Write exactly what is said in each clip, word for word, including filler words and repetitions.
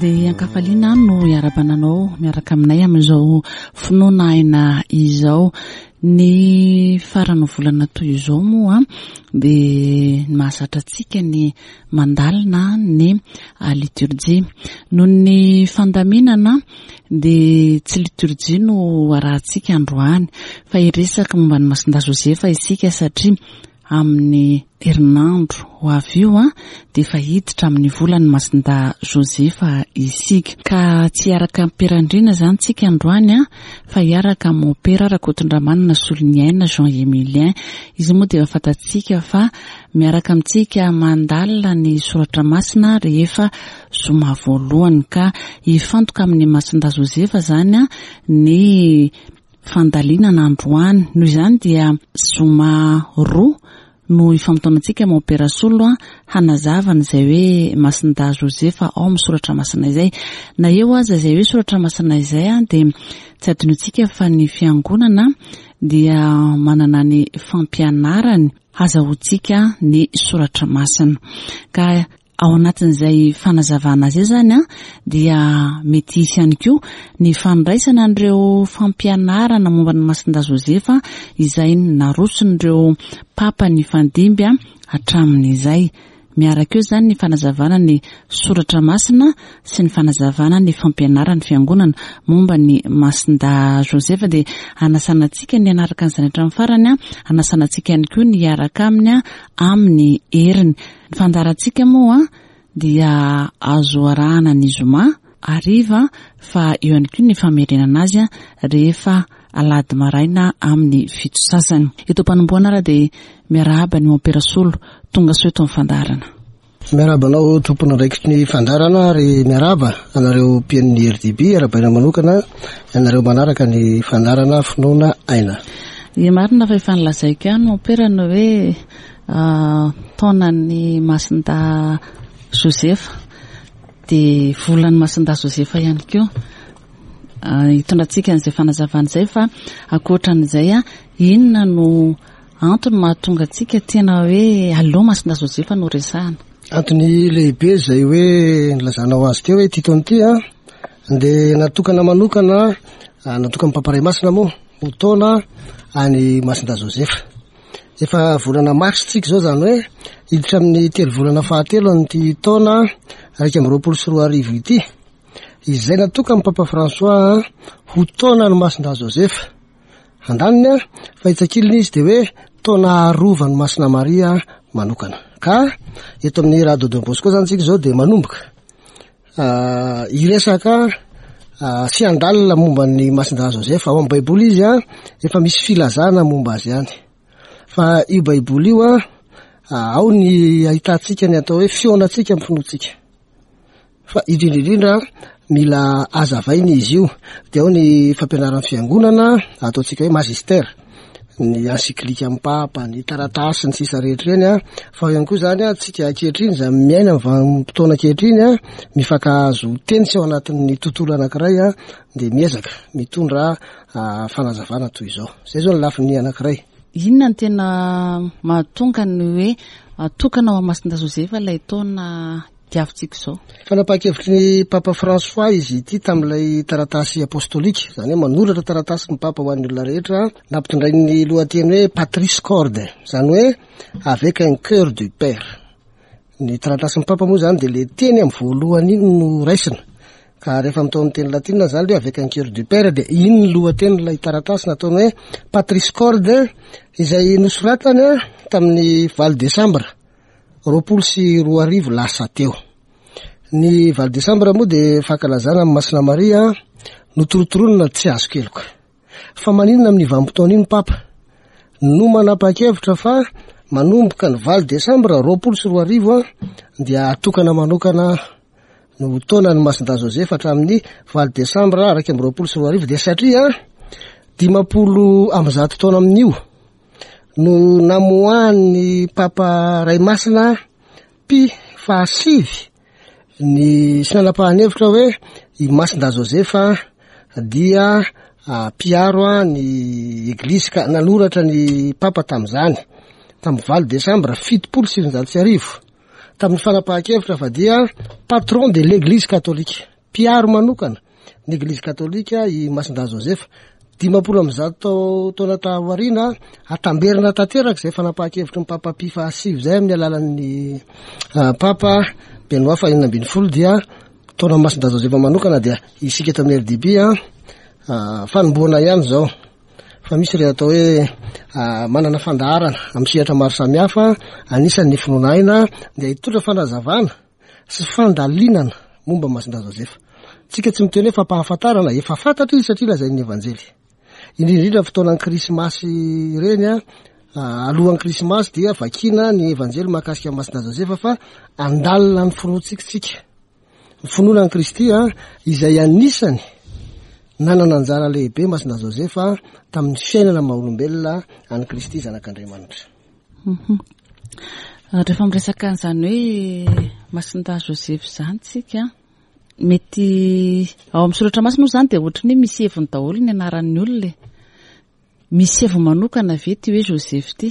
Dia ankafaliana no iarahabana anao miaraka aminay amin'izao Finoana Aina izao. Ny farany volana toy izao moa dia mahazatra antsika ny mandalina ny liturjia. Noho ny fandaminana dia tsy liturjia no arahantsika androany fa hiresaka momba ny Masindahy Josefa isika, satria amin'ny herinandro ho avy io a dia efa hiditra amin'ny volan'ny Masindahy Josefa isika. Ka tsy hiaraka am-pirandriana izany tsika androany a fa hiaraka amin'ny Mompera Rakotondramanana Soloniaina Jean Emilien. Izy moa dia efa fantatsika fa miaraka amintsika mandalina ny soratra masina rehefa zoma voalohany, ka hifantoka amin'ny Masindahy Josefa izany a ny fandalinana androany. Noho izany dia zoma roa no ifamotoanantsika Mompera Solo a hanazavana izay hoe Masindahy Josefa ao amin'ny soratra masina izay. Na eo aza izay hoe soratra masina izay a dia tsy adinontsika fa ny fiangonana dia manana ny fampianarany hazahoantsika ny soratra masina. Ka ao anatin'izay fanazavana azy izany a dia mety hisy ihany koa ny fandraisana an'ireo fampianarana momba ny Masindahy Josefa izay naroson'ireo papa nifandimby hatramin'izay. Miaraka eo izany ny fanazavana ny soratra masina sy ny fanazavana ny fampianaran'ny fiangonana momba ny Masindahy Josefa. Dia hanasana antsika ny hanaraka an'izany hatramin'ny farany, hanasana antsika ihany koa ny hiaraka aminy amin'ny heriny. Ny fandaharantsika moa dia azo arahana ny zoma hariva, fa eo ihany koa ny famerenana azy rehefa alahady maraina amin'ny fito sasany. Eto am-panombohana ary dia miarahaba ny Mompera Solo tonga soa eto amin'ny fandaharana. Miarahaba anao tompon'andraikitry ny fandaharana, ary miarahaba anareo mpihaino R D B, arahabaina manokana ianareo manaraka ny fandaharana Finoana Aina. Ie, marina fa efa nilazaiko ihany Mompera ny hoe taonan'ny Masindahy Josefa dia volan'ny Masindahy Josefa ihany koa. Hitondrantsika an'izay fanazavana izay, fa ankoatran'izay a inona no antony mahatonga antsika tena hoe aleo Masindahy Josefa no resahana? Antony lehibe zay hoe nilazanao azy teo hoe ty taona ity a dia natokana manokana, natokana Papa Ray Masina moa ho taona any Masindahy Josefa. Efa volana marsa tsika izao, zany hoe hiditra amin'ny telo volana fahatelo an'ity taona raika amby roapolo sy roa arivo ity, izay natokana Papa François ho taona ny Masindahy Josefa. Andaniny a fa itsakilina izy de hoe taona arovany Masina Maria manokana. Ka eto amin'ny Radio Don Bosco zany tsika izao dia manomboka hiresaka sy handalina momba ny Masindahy Josefa. Ao amin'ny Baiboly izy a efa misy filazana momba azy ihany, fa io Baiboly io a ao ny ahitantsika ny atao hoe fihaonantsika amin'ny finoantsika, fa indrindrindrindra mila azavaina izy io. De ao ny fampianaran'ny fiangonana ataontsika hoe magistère, ny encyclique amin'ny papa, ny taratasy, ny sisa rehetra ireny a fa ihany koa zany a tsika ankehitriny zany miaina amin'ny vanim-potoana ankehitriny a mifankahazo teny sy ao anatin'ny tontolo anankiray a de miezaka mitondra fanazavana toy izao. Zay zao ny lafiny anankiray. Inona ny tena mahatonga ny hoe atokana ao Masindahy Josefa ilay taona diavintsika izao? Fanapahan-kevitry ny Papa François izy ity tamin'ilay taratasy apostolika, zany hoe manoratra taratasy ny papa ho an'ny olona rehetra, nampitondrainy lohateny hoe Patris Corde, zany hoe avec un cœur du père. Ny taratasin'ny papa moa zany de le teny amin'ny voalohany iny no raisina, ka rehefa mitao amin'ny teny latina zany le avec un cœur du père, de iny ny lohateny ilay taratasy nataony hoe Patris Corde, izay nosoratany a tamin'ny valo desambra roapolo sy roa arivo lasa teo. Ny valo desambra moa de fankalazana amin'ny Masina Maria notorotoronina tsy azo keloka. Fa maninona amin'ny vanim-potoana iny papa no manapa-kevitra fa manomboka ny valo desambra roapolo sy roa arivo a dia atokana manokana no taona ny Masindahy Josefa hatramin'ny valo desambra raika amby roapolo sy roa arivo? De satria dimampolo amby zato taona amin'io no namoahan'ny Papa Ray Masina Pie fahasivy ny sy nanapahany hevitra hoe i Masindahy Josefa dia mpiaro a ny eglizy, ka nanoratra ny papa tam'izany tamin'ny valo desambra fitopolo sivinjato sy arivo tamin'ny fanapahan-kevitra fa dia patron de l'Église catholique. mpiaro manokana ny Eglizy katolika i Masindahy Josefa. Dimampolo amby zato taona taoriana, atamberina tanteraka izay fanapahan-kevitry ny Papa Pie fahasivy izay amin'ny alalan'ny Papa Benoît fahenina ambin'ny folo, dia taona Masindahy Josefa manokana. Dia isika eto amin'ny R D B a, fanombohana ihany izao, fa misy ireo atao hoe manana fandaharana amin'ny sehatra maro samihafa, anisan'ny finoana aina, dia hitondra fanazavana sy fandalinana momba Masindahy Josefa. Tsika tsy miteny hoe fampahafantarana, efa fantatra izy satria lazain'ny Evanjely. Indrindra indrindra fotoanan'ny Krismasy ireny a, alohan'ny Krismasy dia vakina ny Evanjely mahakasika an'i Masindahy Josefa, fa andalina ny finoantsika tsika. Ny finoana an'i Kristy a, izay anisany nanana anjara lehibe Masindahy Josefa tamin'ny fiainana maha olombelona an'i Kristy zanak'Andriamanitra. Mhm. Rehefa miresaka an'izany hoe Masindahy Josefa izany tsika, mety ao amin'ny soratra masina moa izany dia ohatran'ny hoe misy heviny daholo ny anaran'ny olona e. Misy heviny manokana ve ity hoe Joseph ity?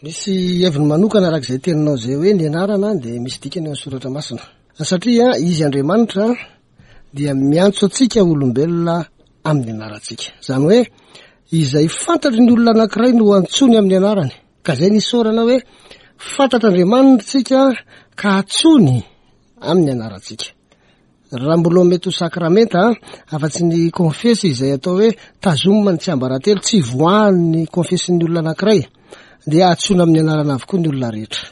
Misy heviny manokana araka izay teninao izay hoe ny anarana dia misy dikany ao amin'ny soratra masina. Satria izy Andriamanitra dia miantso antsika olombelona amin'ny anarantsika. Izany hoe izay fantatry ny olona anankiray no antsoiny amin'ny anarany. Ka izay nisorana hoe fantatr'Andriamanitra tsika ka antsoiny amin'ny anarantsika. Raha mbola mety ho sakramenta, afa-tsy ny konfesy izay atao hoe tazomina ny tsiambaratelo, tsy voahan'ny konfesin'ny olona anankiray, dia antsoina amin'ny anarana avokoa ny olona rehetra.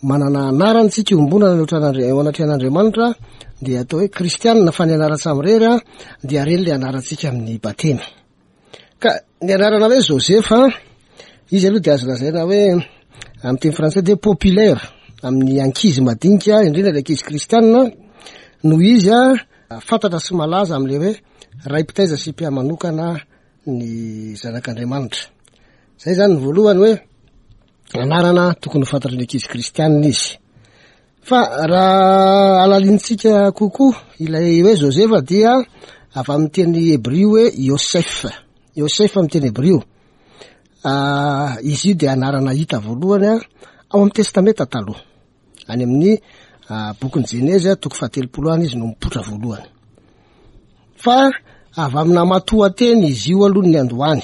Manana anarana tsika iombonana eo anatrehan'Andri-, eo anatrehan'Andriamanitra, dia atao hoe kristianina, fa ny anaran-tsamirery a, dia reny ilay anarantsika amin'ny batemy. Ka ny anarana hoe Josefa, izy aloha dia azo lazaina hoe amin'ny teny frantsay dia populaire amin'ny ankizy madinika, indrindra ilay ankizy kristianina, noho izy a fantatra sy malaza amin'ilay hoe ray mpitaiza sy mpiamanokana ny zanak'Andriamanitra. Zay zany ny voalohany hoe anarana tokony ho fantatry ny ankizy kristianina izy. Fa raha alalintsika kokoa ilay hoe Josefa dia avy amin'ny teny hebrio hoe Yosef. Yosef amin'ny teny hebrio. Ah, izy io dia anarana hita voalohany a, ao amin'ny Testamenta taloha. Any amin'ny, ah, bokin'ny Jenezy a, toko fahatelopolo any izy no mipoitra voalohany. Fa avy amina matoanteny izy io aloha ny andohany,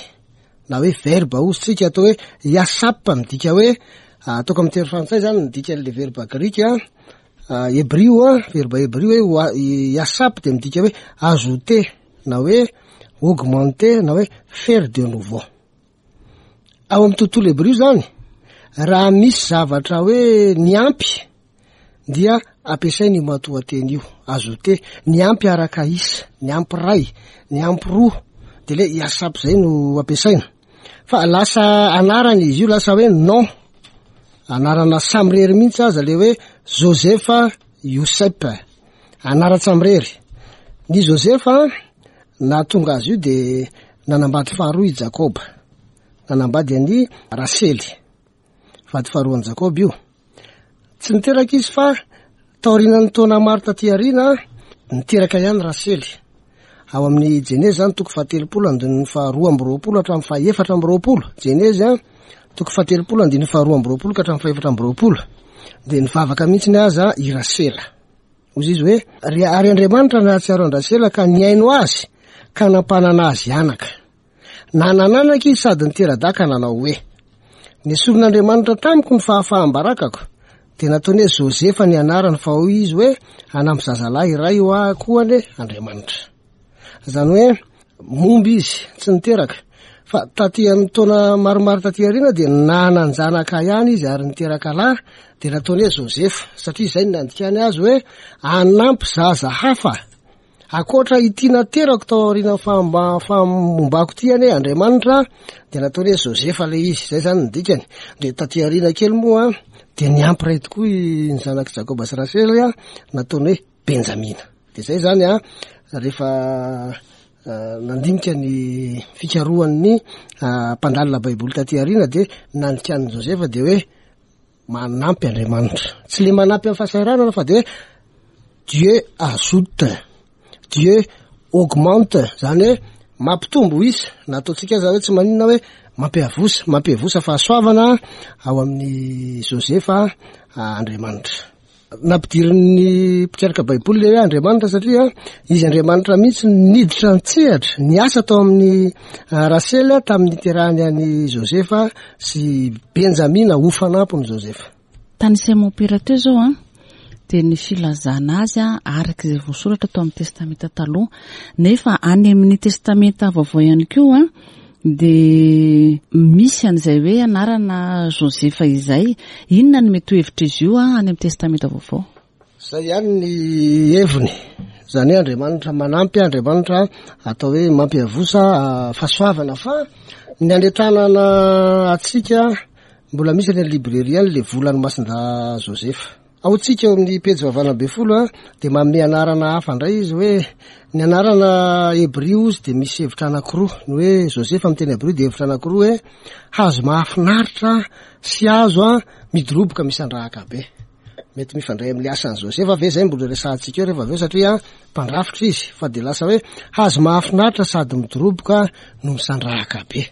na hoe verbe hozy tsika atao hoe yasap, midika hoe, ah, ataoko amin'ny teny frantsay zany midika an'le verbe grika, ah, hebrio a, verbe hebrio hoe wa-, yasap dia midika hoe ajouter, na hoe augmenter, na hoe faire de nouveau. Ao amin'ny tontolo hebrio zany, raha misy zavatra hoe niampy dia ampiasaina io matoanteny io, ajouter, niampy araka isa, niampy ray, niampy roa, de le yasap zay no ampiasaina. Fa lasa anarana izy io, lasa hoe nom, anarana samirery mihitsy aza le hoe Josefa Yosep, anaran-tsamirery. Ny Josefa nahatonga azy io de nanambady faharoa i Jakoba, nanambady an'i Rasely, vady faharoan'i Jakoba io. Tsy niteraka izy fa taorian'ny taona maro taty aoriana niteraka ihany Rasely. Ao amin'ny Jenezy zany toko fahatelopolo andininy faharoa amby roapolo hatramin'ny fahaefatra amby roapolo. Jenezy a, toko fahatelopolo andininy faharoa amby roapolo ka hatramin'ny fahaefatra amby roapolo. Dia nivavaka mihitsy ny aza i Rasela. Hoy izy hoe, Ry ary Andriamanitra nahatsiaro an-dRasela ka nihaino azy ka nampanana azy anaka. Nanananaka izy sady nitera-dahy ka nanao hoe, Nesorin'Andriamanitra tamiko ny fahafaham-barakako. Dia nataony hoe Josefa ny anarany, fa hoy izy hoe, hanampy zazalahy iray ho ahy koa anie Andriamanitra. Izany hoe momba izy, tsy niteraka. Fa taty amin'ny taona maromaro taty aoriana dia nanan-janaka ihany izy ary niteraka lahy, dia nataony hoe Josefa, satria izay no nandikany azy hoe hanampy zaza hafa. Ankoatra ity naterako tao aorian'ny fahamba-, fahamombako ity anie Andriamanitra, dia nataony hoe Josefa ilay izy. Izay zany ny dikany. Dia taty aoriana kely moa dia niampy iray tokoa i-, ny zanak'i Jakoba sy Rasely a, nataony hoe Benjamina. Dia izay zany a, rehefa, eh, nandinika ny fikarohan'ny, ah, mpandalina Baiboly taty aoriana dia nandikan'i Josefa dia hoe manampy Andriamanitra. Tsy le manampy amin'ny fahasahiranana fa dia hoe Dieu ajoute, Dieu augmente, zany hoe mampitombo isa. Na ataontsika aza hoe tsy maninona hoe mampiavosa, mampiavosa fahasoavana ao amin'ny Josefa, ah, Andriamanitra. Nampidirin'ny mpikaroka Baiboly le hoe Andriamanitra satria izy Andriamanitra mihitsy niditra an-tsehatra niasa tao amin'ny Rasely tamin'ny niterahany an'i Josefa sy Benjamina ho fanampiny Josefa. Tany Simon-Pera teo izao an, dia ny filazana azy an, araka izay voasoratra tao amin'ny Testamenta taloha, nefa any amin'ny Testamenta vaovao ihany koa an, dia misy an'izay hoe anarana Josefa izay. Inona no mety ho hevitr'izy io an, any amin'ny Testamenta vaovao? Izay ihany ny heviny, izany hoe Andriamanitra manampy, Andriamanitra atao hoe mampiavosa fahasoavana, fa ny anetranana antsika mbola misy any librairie any le volan'ny Masinda Josefa. Ao tsika eo amin'ny pejy vavana be folo a, dia manome anarana hafa indray izy hoe ny anarana hebrio izy dia misy hevitra anankiroa. Ny hoe Josefa amin'ny teny hebrio dia hevitra anankiroa hoe hazo mahafinaritra sy hazo a midoroboka misandrahaka be. Mety mifandray amin'ny asan'i Josefa ve zay mbola resahantsika eo rehefa avy eo, satria mpandrafitra izy, fa dia lasa hoe hazo mahafinaritra sady midoroboka no misandrahaka be.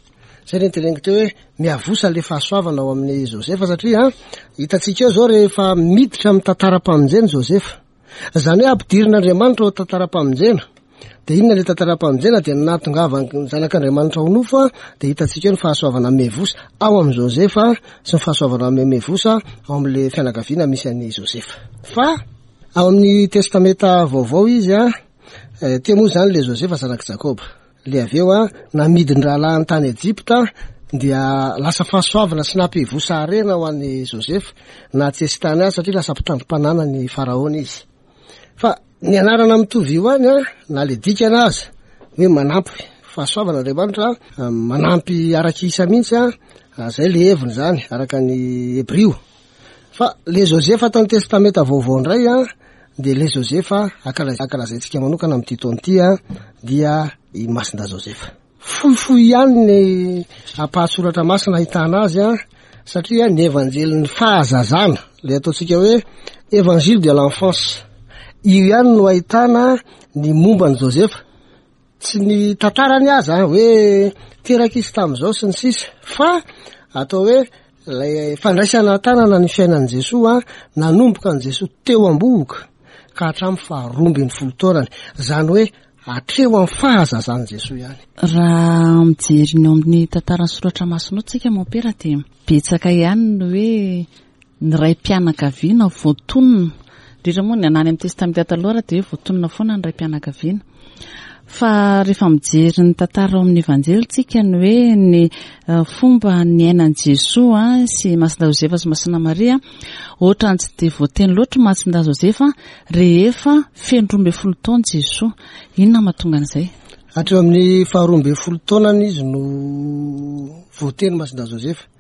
Zay ny teneniko teo hoe miavosa le fahasoavana ao amin'ny Josefa, satria hitantsika eo zao rehefa miditra amin'ny tantaram-pamonjena Josefa, zany hoe ampidirin'Andriamanitra ao tantaram-pamonjena. Dia inona le tantaram-pamonjena? Dia nahatongavan'ny zanak'Andriamanitra ho nofo, dia hitantsika eo ny fahasoavana miavosa ao amin'i Josefa sy ny fahasoavana miavosa ao amin'le fianakaviana misy an'i Josefa. Fa ao amin'ny Testamenta vaovao izy a, teo moa zany le Josefa zanak'i Jakoba. Le avy eo a, namidin-drahalahiny tany Ejipta, dia lasa fahasoavana sy nampivosa harena ho an'i Josefa na tsy tany azy, satria lasa mpitandrim-panana ny Faraona izy. Fa ny anarana mitovy io any a, na le dikana azy hoe manampy fahasoavana Andriamanitra, manampy araka isa mihitsy a, zay le heviny zany araka ny hebrio. Fa le Josefa tany Testamenta vaovao indray a, dia le Josefa ankalazaintsika manokana amin'ity taona ity a, dia i Masinda Josefa. Fohifohy ihany ny ampahasoratra masina ahitana azy a, satria ny evanjelin'ny fahazazana, le ataontsika hoe évangile de l'enfance, io ihany no ahitana ny momba an'i Josefa. Tsy ny tantarany aza hoe teraka izy tamin'izao sy ny sisa, fa atao hoe lay fandraisana tanana ny fiainan'i Jesoa, nanomboka an'i Jesoa teo am-bohoka ka hatramin'ny faharoa ambin'ny folo taonany, zany hoe hatreo amin'ny fahazazan'i Jesoa ihany. Raha mijery ny ao amin'ny tantaran'ny soratra masina ao tsika mompera, dia betsaka ihany ny hoe ny ray-pianakaviana voatonona, indrindra moa ny anany amin'ny Testamenta taloha dia hoe voatonona foana ny ray-pianakaviana. Fa rehefa mijery ny tantara ao amin'ny Evanjely tsika, ny hoe ny fomba niainan'i Jesoa sy Masinda Josefa sy Masina Maria, ohatrany tsy dia voateny loatra Masinda Josefa rehefa feno roa ambin'ny folo taona Jesoa. Inona mahatonga an'izay? Hatreo amin'ny faharoa ambin'ny folo taonany izy no voateny Masinda Josefa.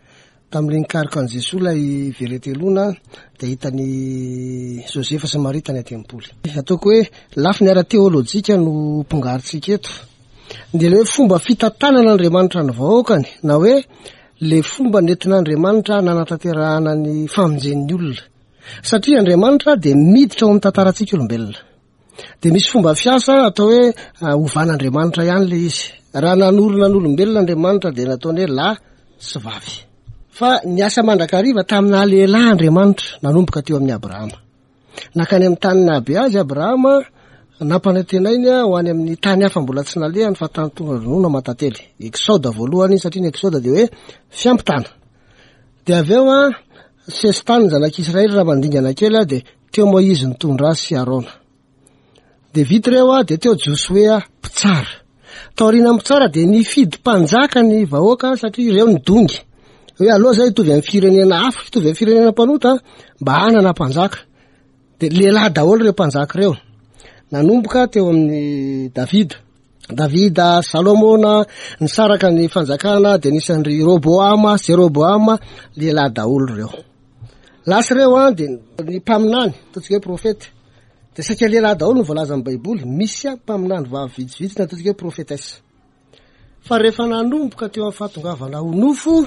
Tamin'ilay nikaroka an'i Jesoa ilay veretelona, dia hitan'i Josefa sy Maria tany an-tempoly. Ataoko hoe lafiny ara-teolojika no pongarintsika eto. Dia ilay hoe fomba fitantanan'Andriamanitra ny vahoakany, na hoe le fomba nentin'Andriamanitra nanatanterahana ny famonjen'ny olona. Satria Andriamanitra dia miditra ao amin'ny tantarantsika olombelona. Dia misy fomba fiasa atao hoe ovan'Andriamanitra ihany le izy. Raha nanorina n'olombelona Andriamanitra dia nataony hoe lahy sy vavy. Fa ny asa mandrakariva tamina lehilahy Andriamanitra nanomboka teo amin'ny Abrahama. Nakany amin'ny tany nahabe azy Abrahama, nampanantenainy ho any amin'ny tany hafa mbola tsy nalehany fa tany tonga ronono aman-tantely. Exode voalohany, satria ny Exode dia hoe fiampitana. Dia avy eo a, sesitany ny zanak'Israely raha mandingana kely a, dia teo Moizy nitondra azy sy Arona. Dia vita ireo a, dia teo Josoa mpitsara. Taoriana mpitsara dia nifidy mpanjaka ny vahoaka satria ireo ny dongy. Hoe aloha zay hitovy amin'ny firenena hafa, hitovy amin'ny firenena mpanota mba hanana mpanjaka. Dia lehilahy daholo ireo mpanjaka ireo. Nanomboka teo amin'ny Davida. Davida, Salomona, nisaraka ny fanjakana dia nisy an-dry Roboama, Jeroboama, lehilahy daholo ireo. Lasa ireo a, dia ny mpaminany, ataontsika hoe profeta. Dia saika lehilahy daholo no voalazan'ny Baiboly, misy mpaminany vavy vitsivitsy na ataontsika hoe profetesse. Fa rehefa nanomboka teo amin'ny fahatongavana ho nofo,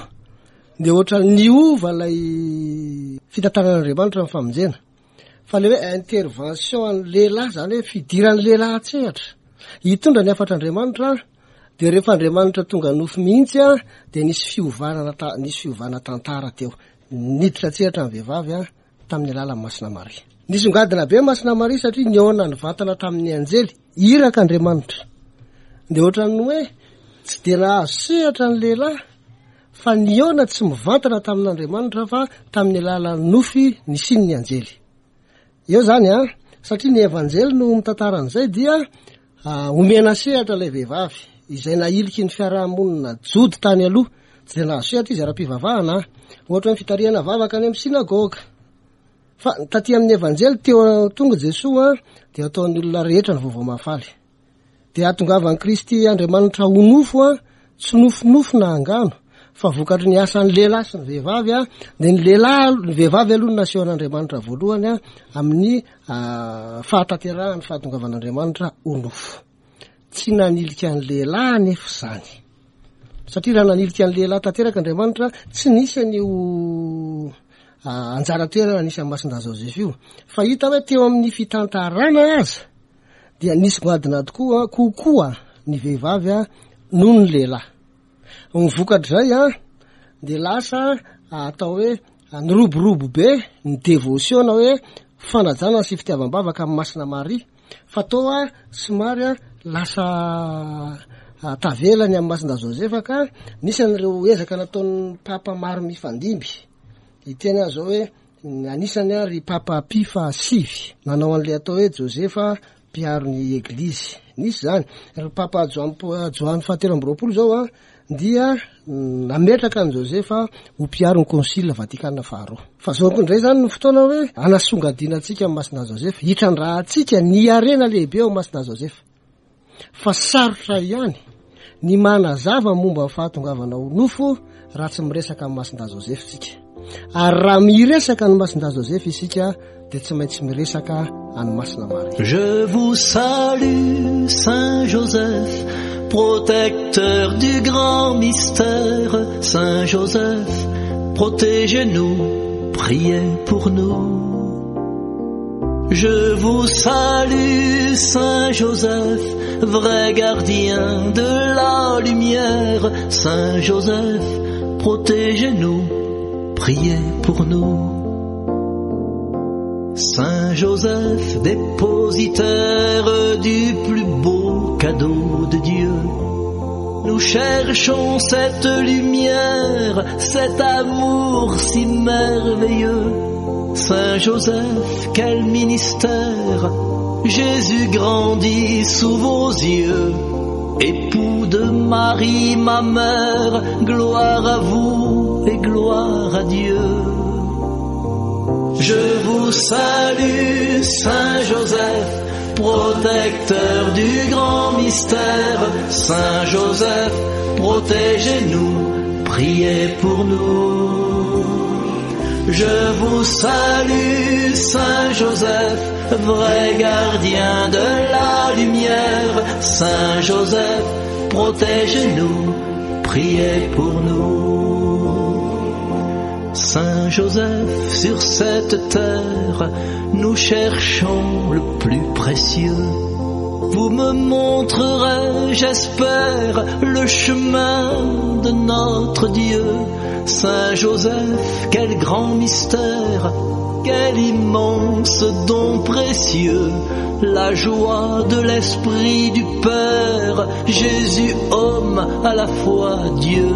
dia ohatra niova ilay fitantanan'Andriamanitra ny famonjena. Fa le hoe intervention an'ny lehilahy, zany hoe fidiran'ny lehilahy an-tsehatra hitondra ny hafatr'Andriamanitra, dia rehefa Andriamanitra tonga nofo mihitsy a, dia nisy fiovana ta-, nisy fiovana tantara teo. Niditra an-tsehatra ny vehivavy a, tamin'ny alalan'ny Masina Maria. Nisongadina be Masina Maria satria nihaona nivantana tamin'ny anjely, iraka Andriamanitra. De ohatran'ny hoe tsy de nahazo sehatra ny lehilahy fa nihaona tsy mivantana tamin'Andriamanitra fa tamin'ny alalan'ny nofy nisian'ny anjely. Eo zany a, satria ny evanjely no mitantara an'izay dia omena sehatra ilay vehivavy izay nahiliky ny fiarahamonina jody tany aloha. Tsy de nahazo sehatra izy ara-pivavahana, ohatra hoe fitarihana vavaka any amin'ny synagoga. Fa taty amin'ny evanjely teo tonga Jesoa dia ataon'ny olona rehetra ny vaovao mahafaly. Dia ahatongavan'i Kristy Andriamanitra ho nofo a, tsy nofinofo na angano, fa vokatry ny asan'ny lehilahy sy ny vehivavy a, dia ny lehilahy, ny vehivavy aloha no nasehon'Andriamanitra voalohany a, amin'ny fahatanterahany fahatongavan'Andriamanitra ho nofo. Tsy nanilika ny lehilahy anefa izany. Satria raha nanilika ny lehilahy tanteraka Andriamanitra, tsy nisy an'io anjara toerana nisy an'i Masindahy Joseph io. Fa hita hoe teo amin'ny fitantarana aza dia nisy goadina tokoa kokoa ny vehivavy a noho ny lehilahy. Ny vokatr'izay a dia lasa atao hoe niroborobo be ny dévotion na hoe fanajana sy fitiavam-bavaka amin'ny Masina Maria. Fa toa somary a lasa tavelany amin'ny Masindahy Joseph ka nisy an'ireo ezaka nataon'ny papa maro mifandimby. Iteny aho zao hoe anisany a ry papa Pie fahasivy nanao an'ilay atao hoe Joseph mpiaro ny eglizy. Nisy zany. Ry papa Joany Joany fahatelo amby roapolo zao a dia nametraka an'i Joseph ho mpiaro ny concile Vatikana faharoa. Fa zao koa indray zany ny fotoana hoe anasongadinantsika amin'ny Masindahy Joseph, hitrandrahantsika ny harena lehibe ao Masindahy Joseph. Fa sarotra ihany ny manazava momba ny fahatongavana ho nofo raha tsy miresaka amin'ny Masindahy Joseph tsika. Ary raha miresaka ny Masindahy Joseph isika dia tsy maintsy miresaka an'i Masina Maria. Je vous salue Saint Joseph, protecteur du grand mystère. Saint Joseph, protégez-nous, priez pour nous. Je vous salue Saint Joseph, vrai gardien de la lumière. Saint Joseph, protégez-nous, priez pour nous. Saint Joseph, dépositaire du plus beau cadeau de Dieu, nous cherchons cette lumière, cet amour si merveilleux. Saint Joseph, quel ministère, Jésus grandit sous vos yeux. Époux de Marie, ma mère, gloire à vous et gloire à Dieu. Je vous salue, Saint Joseph, protecteur du grand mystère. Saint Joseph, protégez-nous, priez pour nous. Je vous salue, Saint Joseph, vrai gardien de la lumière. Saint Joseph, protégez-nous, priez pour nous. Saint Joseph, sur cette terre, nous cherchons le plus précieux. Vous me montrerez, j'espère, le chemin de notre Dieu. Saint Joseph, quel grand mystère, quel immense don précieux. La joie de l'Esprit du Père, Jésus homme à la fois Dieu.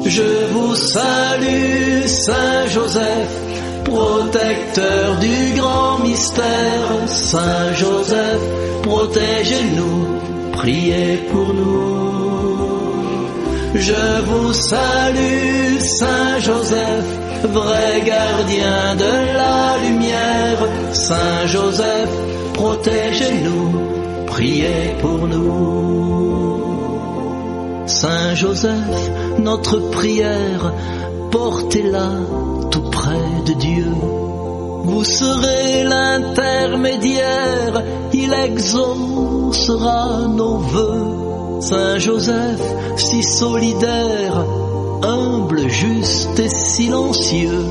Je vous salue, Saint Joseph, protecteur du grand mystère. Saint Joseph, protégez-nous, priez pour nous. Je vous salue, Saint Joseph, vrai gardien de la lumière. Saint Joseph, protégez-nous, priez pour nous. Saint Joseph, notre prière, portez-la tout près de Dieu. Vous serez l'intermédiaire, il exaucera nos vœux. Saint Joseph, si solidaire, humble, juste et silencieux,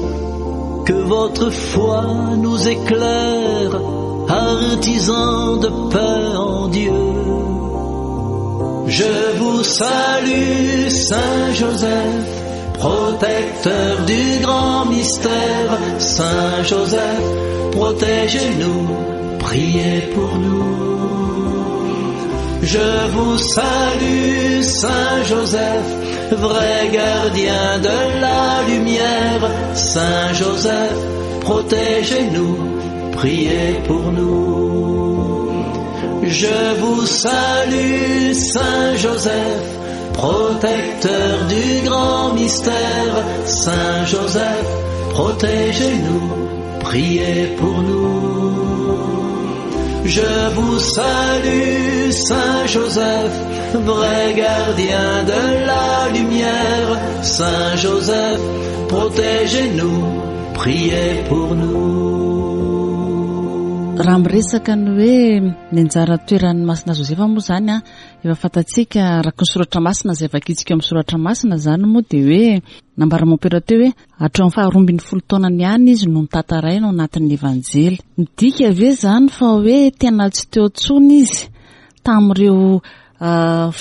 que votre foi nous éclaire, artisan de paix en Dieu. Je vous salue, Saint Joseph, protecteur du grand mystère, Saint Joseph, protégez-nous, priez pour nous. Je vous salue, Saint Joseph, vrai gardien de la lumière, Saint Joseph, protégez-nous, priez pour nous. Je vous salue, Saint Joseph, protecteur du grand mystère, Saint Joseph, protégez-nous, priez pour nous. Je vous salue, Saint Joseph, vrai gardien de la lumière, Saint Joseph, protégez-nous, priez pour nous. Raha miresaka ny hoe ny anjara toeran'ny Masina Josefa moa zany a, efa fantatsika araka ny soratra masina izay vakitsika amin'ny soratra masina zany moa, dia hoe nambara mompera teo hoe hatramin'ny faharoa ambin'ny folo taonany ihany izy no notantaraina ao anatin'ny Evanjely. Midika ve zany fa hoe tena tsy teo intsony izy tamin'ireo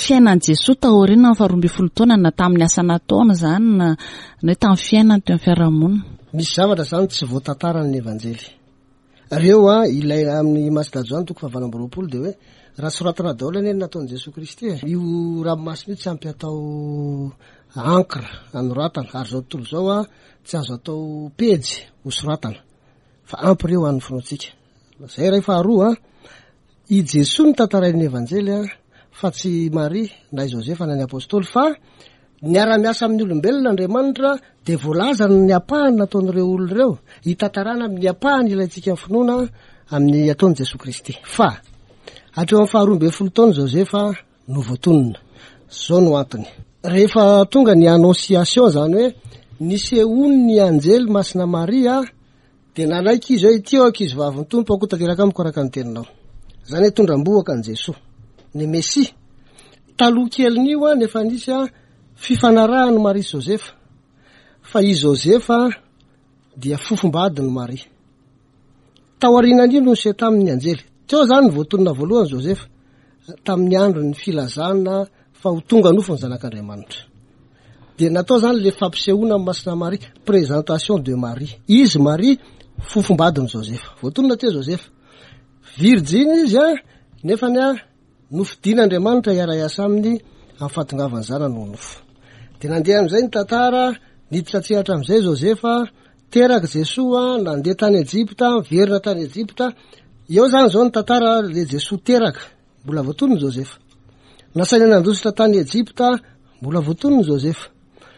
fiainan'i Jesoa taoriana ny faharoa ambin'ny folo taona, na tamin'ny asa nataony zany, na na hoe tamin'ny fiainany teo amin'ny fiarahamonina? Misy zavatra zany tsy voatantaran'ny Evanjely. Reo a, ilay amin'ny Masina Joany toko fahavalo amby roapolo dia hoe raha soratana daholo anie ny nataon'i Jesoa Kristy e. Io ranomasina io tsy ampy atao encre anoratana, ary zao tontolo zao a tsy azo atao pejy ho soratana, fa ampy reo an'ny finoantsika. Zay ray. Faharoa a, i Jesoa no tantarain'ny Evanjely a, fa tsy Maria na i Josefa na ny apôstôly, fa niara-miasa amin'ny olombelona Andriamanitra, de voalazany ny apahany nataon'ireo olona ireo, hitantarana amin'ny apahany ilaintsika ny finoana amin'ny ataon'i Jesoa Kristy. Fa hatreo amin'ny faharoa ambin'ny folo taona Josefa no voatonona. Zao no antony: rehefa tonga ny annonciation, zany hoe nisehoany anjely Masina Maria, de nanaiky izy hoe ity eo ankizy vavin'ny Tompo ako, tanteraka amiko araka ny teninao. Zany hoe tondram-bohoka an Jesoa ny Mesia. Taloha kelin'io a, nefa nisy a fifanarahany Maria sy Josefa, fa i Josefa dia fofombadiny Maria. Tao aorianan'io no niseho tamin'ny anjely. Teo zany voatonona voalohany Josefa tamin'ny andro ny filazana fa ho tonga nofo ny zanak'Andriamanitra. De natao zany le fampisehoana amin'ny Masina Maria, présentation de Marie. Izy Maria fofombadiny Josefa, voatonona teo Josefa. Virjiny izy a, nefany a nofidin'Andriamanitra hiara-hiasa aminy amin'ny fahatongavan'ny zanany ho nofo. De nandeha am'izay ny tantara, niditra tsehatra am'izay Josefa, teraka Jesoa, nandeha tany Ejipta, verina tany Ejipta. Eo zany zao ny tantara le Jesoa teraka, mbola voatonony Josefa. Nasaina nandositra tany Ejipta, mbola voatonony Josefa.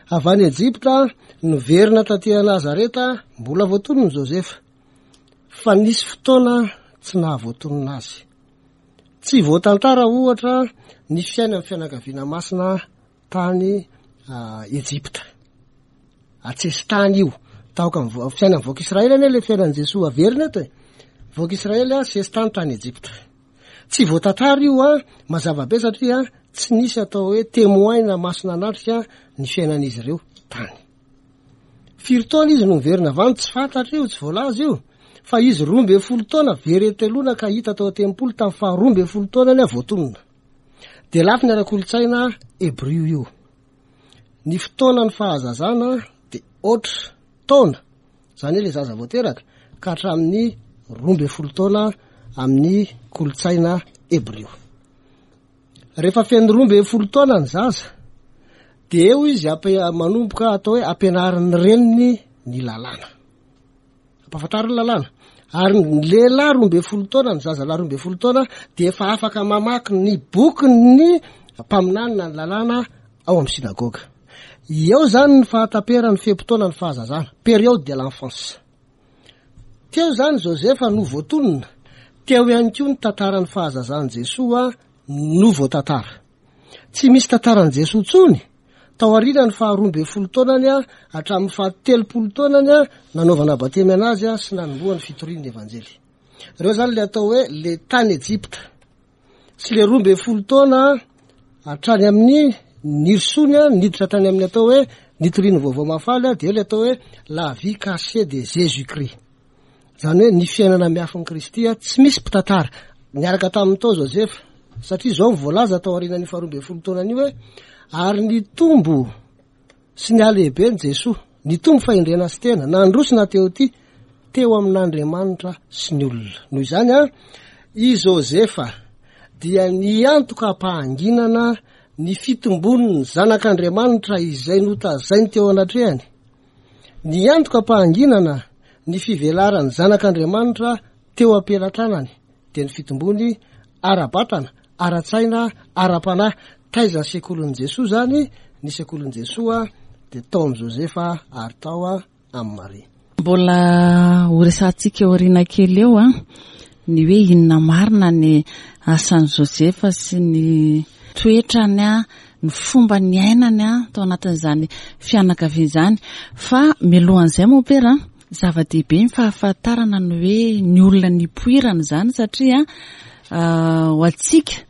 Avy any Ejipta, niverina taty Nazareta, mbola voatonony Josefa. Fa nisy fotoana tsy nahavoatonona azy. Tsy voatantara ohatra ny fiainan'ny fianakaviana masina tany Ejipta. Atsesitany io. Taoka fiainan'ny vahoaka Israely anie le fiainan'i Jesoa averina eto e. Vahoaka Israely a sesitany tany Ejipta. Tsy voatantara io a, mazava be, satria tsy nisy atao hoe témoin na masina anatrika ny fiainan'izy ireo tany. Firy taona izy no miverina avy any, tsy fantatra io, tsy voalaza io. Fa izy roa ambin'ny folo taona very telona ka hita tao an-tempoly tamin'ny faharoa ambin'ny folo taonany a voatonona. De lafiny ara-kolontsaina hebrio io. Ny fotoana ny fahazazana de oatra taona, zany hoe le zaza voateraka ka hatramin'ny roa ambin'ny folo taona amin'ny kolontsaina hebrio. Rehefa feno roa ambin'ny folo taona ny zaza, de eo izy ampe- manomboka atao hoe ampianarin'ny reniny ny lalàna, ampahafantariny lalàna. Ary ny lehilahy roa ambin'ny folo taona, ny zaza lahy roa ambin'ny folo taona de efa afaka mamaky ny bokyny mpaminany na ny lalàna ao amin'ny synagoga. Eo zany ny fahataperan'ny fe-potoana ny fahazazana, période de l'enfance. Teo zany Josefa no voatonona, teo ihany koa ny tantaran'ny fahazazan'i Jesoa no voatantara. Tsy misy tantaran'i Jesoa intsony tao aoriana ny faharoa ambin'ny folo taonany a hatramin'ny fahatelopolo taonany a nanaovana batemy anazy a sy nanombohany fitoriany Evanjely. Reo zany le atao hoe le tany Ejipta sy le roa ambin'ny folo taona hatrany amin'ny nirosoany a niditra tany amin'ny atao hoe nitoriany vaovao mahafaly a, de le atao hoe la vie cachée de Jésus Christ. Zany hoe ny fiainana miafin'i Kristy a tsy misy mpitantara. Niaraka tamin'ny tao Josefa, satria zao voalaza tao aorian'ny faharoa ambin'ny folo taonany io hoe ary nitombo Sy nihalehibe ny Jesoa, nitombo fahendrena sy tena, nandroso na teo ty, teo amin'Andriamanitra sy ny olona. Noho izany a, i Josefa dia niantoka am-pahanginana ny fitombon'ny zanak'Andriamanitra izay notazainy teo anatrehany. Niantoka am-pahanginana ny fivelaran'ny zanak'Andriamanitra teo am-pelatanany, dia ny fitombony ara-batana, ara-tsaina, ara-panahy. Taiza ny sekolin'i Jesoa zany? Ny sekolin'i Jesoa dia tao amin'i Josefa ary tao amin'i Maria. Mbola ho resahantsika aoriana kely eo a, ny hoe inona marina ny asan'i Josefa sy ny toetrany a, ny fomba niainany a tao anatin'izany fianakaviana izany. Fa mialohan'izay moa pera, zava-dehibe ny fahafantarana ny hoe ny olona nipoirana izany, satria ho antsika,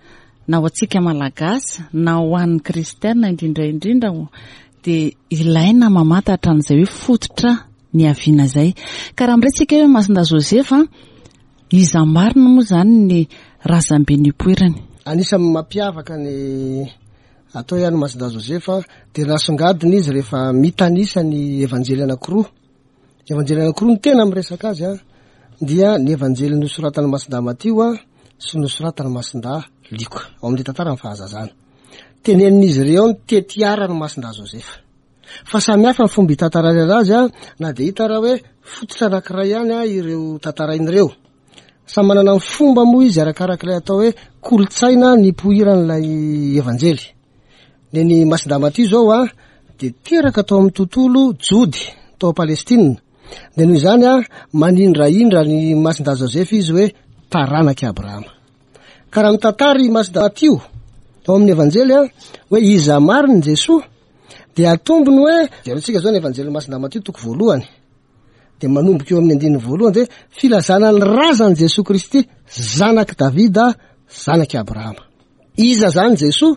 na ho antsika malagasy, na ho an'ny kristiana indrindra indrindra, dia ilaina mamantatra an'izay hoe fototra niaviana izay. Ka raha miresaka hoe Masindahy Josefa, iza marina moa izany ny razambe nipoirany? Anisan'ny mampiavaka ny atao ihany Masindahy Josefa dia nasongadina izy rehefa mitanisa ny evanjely anankiroa. Evanjely anankiroa no tena miresaka azy a, dia ny evanjely nosoratan'ny Masindahy Matio a sy nosoratan'ny Masindahy Lioka ao amin'ny tantaran'ny fahazazana. Tenenin'izy ireo ny tetiaran'ny Masindahy Josefa. Fa samy hafa ny fomba hitantarany azy a, na dia hita raha hoe fototra anankiray ihany a ireo tantarainy ireo. Samy manana ny fomba moa izy arakarak'ilay atao hoe kolontsaina nipoiran'ilay evanjely. Ny ny Masindahy Matio zao a dia teraka tao amin'ny tontolo Jody tao Palestina. Dia noho izany a manindraindra ny Masindahy Josefa izy hoe taranak'i Abrahama. Ka raha mitantara i Masindahy Matio ao amin'ny evanjely a hoe iza marina Jesoa, dia atombony hoe jerentsika zao ny evanjely Masindahy Matio toko voalohany, dia manomboka eo amin'ny andininy voalohany dia filazana ny razan'i Jesoa Kristy, zanak'i Davida, zanak'i Abrahama. Iza zany Jesoa?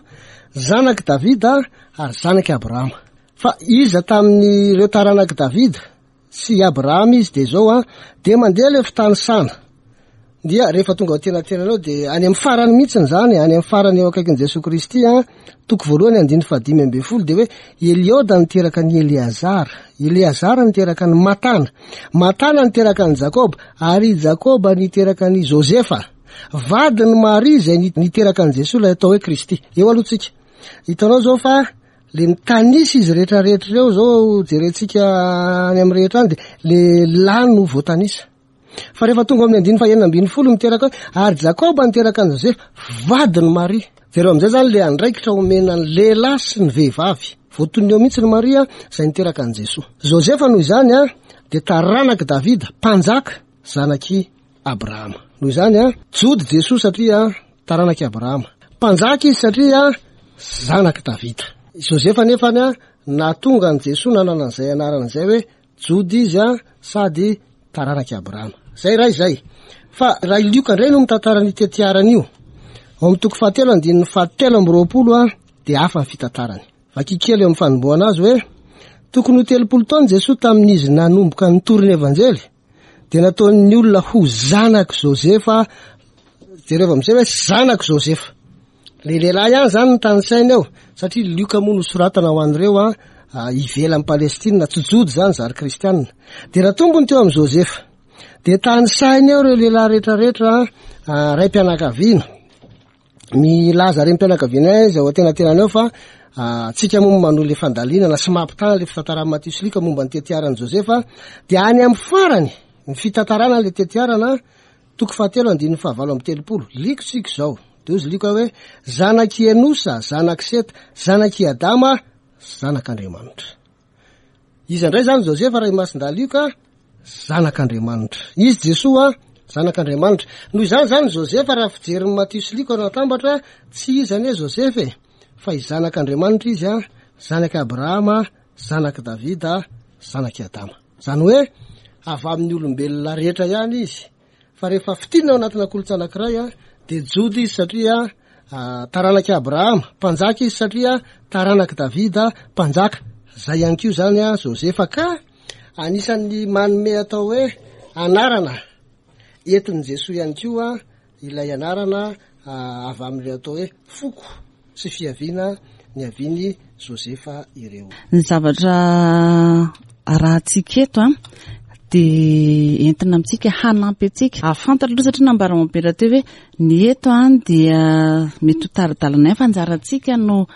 Zanak'i Davida ary zanak'i Abrahama. Fa iza tamin'ireo taranak'i Davida sy Abrahama izy? Dia zao a, dia mandeha ilay fitanisana. Dia rehefa tonga ao an-tenatenanao dia any amin'ny farany mihitsiny zany, any amin'ny farany eo akaikin'i Jesoa Kristy a, toko voalohany andininy fahadimy ambin'ny folo dia hoe Elioda niteraka an'i Eleazara, Eleazara niteraka an'i Matana, Matana niteraka an'i Jakoba, ary i Jakoba niteraka an'i Josefa, vadin'i Maria izay niteraka an'i Jesoa ilay atao hoe Kristy. Eo aloha tsika. Hitanao zao fa le mitanisa izy rehetrarehetra ireo zao jerentsika any amin'ny rehetra any dia le lahy no voatanisa. Fa rehefa tonga amin'ny andininy fahenina ambin'ny folo miteraka hoe ary Jakoba niteraka an'i Josefa, vadin'i Maria. Jereo amin'izay zany le andraikitra omena ny lehilahy sy ny vehivavy. Voatonona eo mihitsy ny Maria izay niteraka an'i Jesoa. Josefa noho izany a dia taranak'i Davida, mpanjaka, zanak'i Abrahama. Noho izany a, Jody Jesoa satria taranak'i Abrahama. Mpanjaka izy satria zanak'i Davida. Josefa nefany a nahatonga an'i Jesoa nanana an'izay anarana izay hoe Jody izy a sady taranak'i Abrahama. Zay raha izay. Fa raha i Lioka indray no mitantara ny tetiarana io, ao amin'ny toko fahatelo andininy fahatelo amby roapolo a dia hafa ny fitantarany. Vaky kely eo amin'ny fanombohana azy hoe tokony ho telopolo taona Jesoa tamin'izy nanomboka nitory ny evanjely, dia nataon'ny olona ho zanak'i Josefa. Jereo amin'izay hoe zanak'i Josefa. Le lehilahy ihany zany no tanisaina eo, satria Lioka moa nosoratana ho an'ireo a ivelan'i Palestina, tsy Jody zany zary kristianina. Dia natombony teo amin'i Josefa. Dia tanisaina eo ireo lehilahy rehetrarehetra ray-pianakaviana. Milaza renim-pianakaviana izy ao an-tenatenany ao fa tsika moa manohy le fandalinana sy mampitaha le fitantaran'i Matio sy Lioka momba ny tetiaran'i Josefa. Dia any amin'ny farany ny fitantarana le tetiarana, toko fahatelo andininy fahavalo amby telopolo. Lioka tsika izao. Dia hozy Lioka hoe zanak'i Enosa, zanak'i Seta, zanak'i Adama, zanak'Andriamanitra. Iza indray zany Josefa raha i Masindahy Lioka? Zanak'Andriamanitra. Izy Jesoa zanak'Andriamanitra. Noho izany zany Josefa raha fijerin'i Matio sy Lioka no atambatra, tsy iza anie Josefa e, fa i zanak'Andriamanitra izy a, zanak'i Abrahama, zanak'i Davida, zanak'i Adama. Zany hoe avy amin'ny olombelona rehetra ihany izy. Fa rehefa fitinina ao anatina kolontsaina anankiray a, dia Jody izy satria taranak'i Abrahama, mpanjaka izy satria taranak'i Davida, mpanjaka. Zay ihany koa zany a Josefa ka anisan'ny manome atao hoe anarana entin'i Jesoa ihany koa ilay anarana avy amin'ilay atao hoe foko sy fiaviana niavian'i Josefa ireo. Ny zavatra arahantsika eto a dia entina amintsika hanampy antsika hahafantatra aloha, satria nambara mompera teo hoe ny eto a dia mety ho tari-dalana ihany, fa anjarantsika no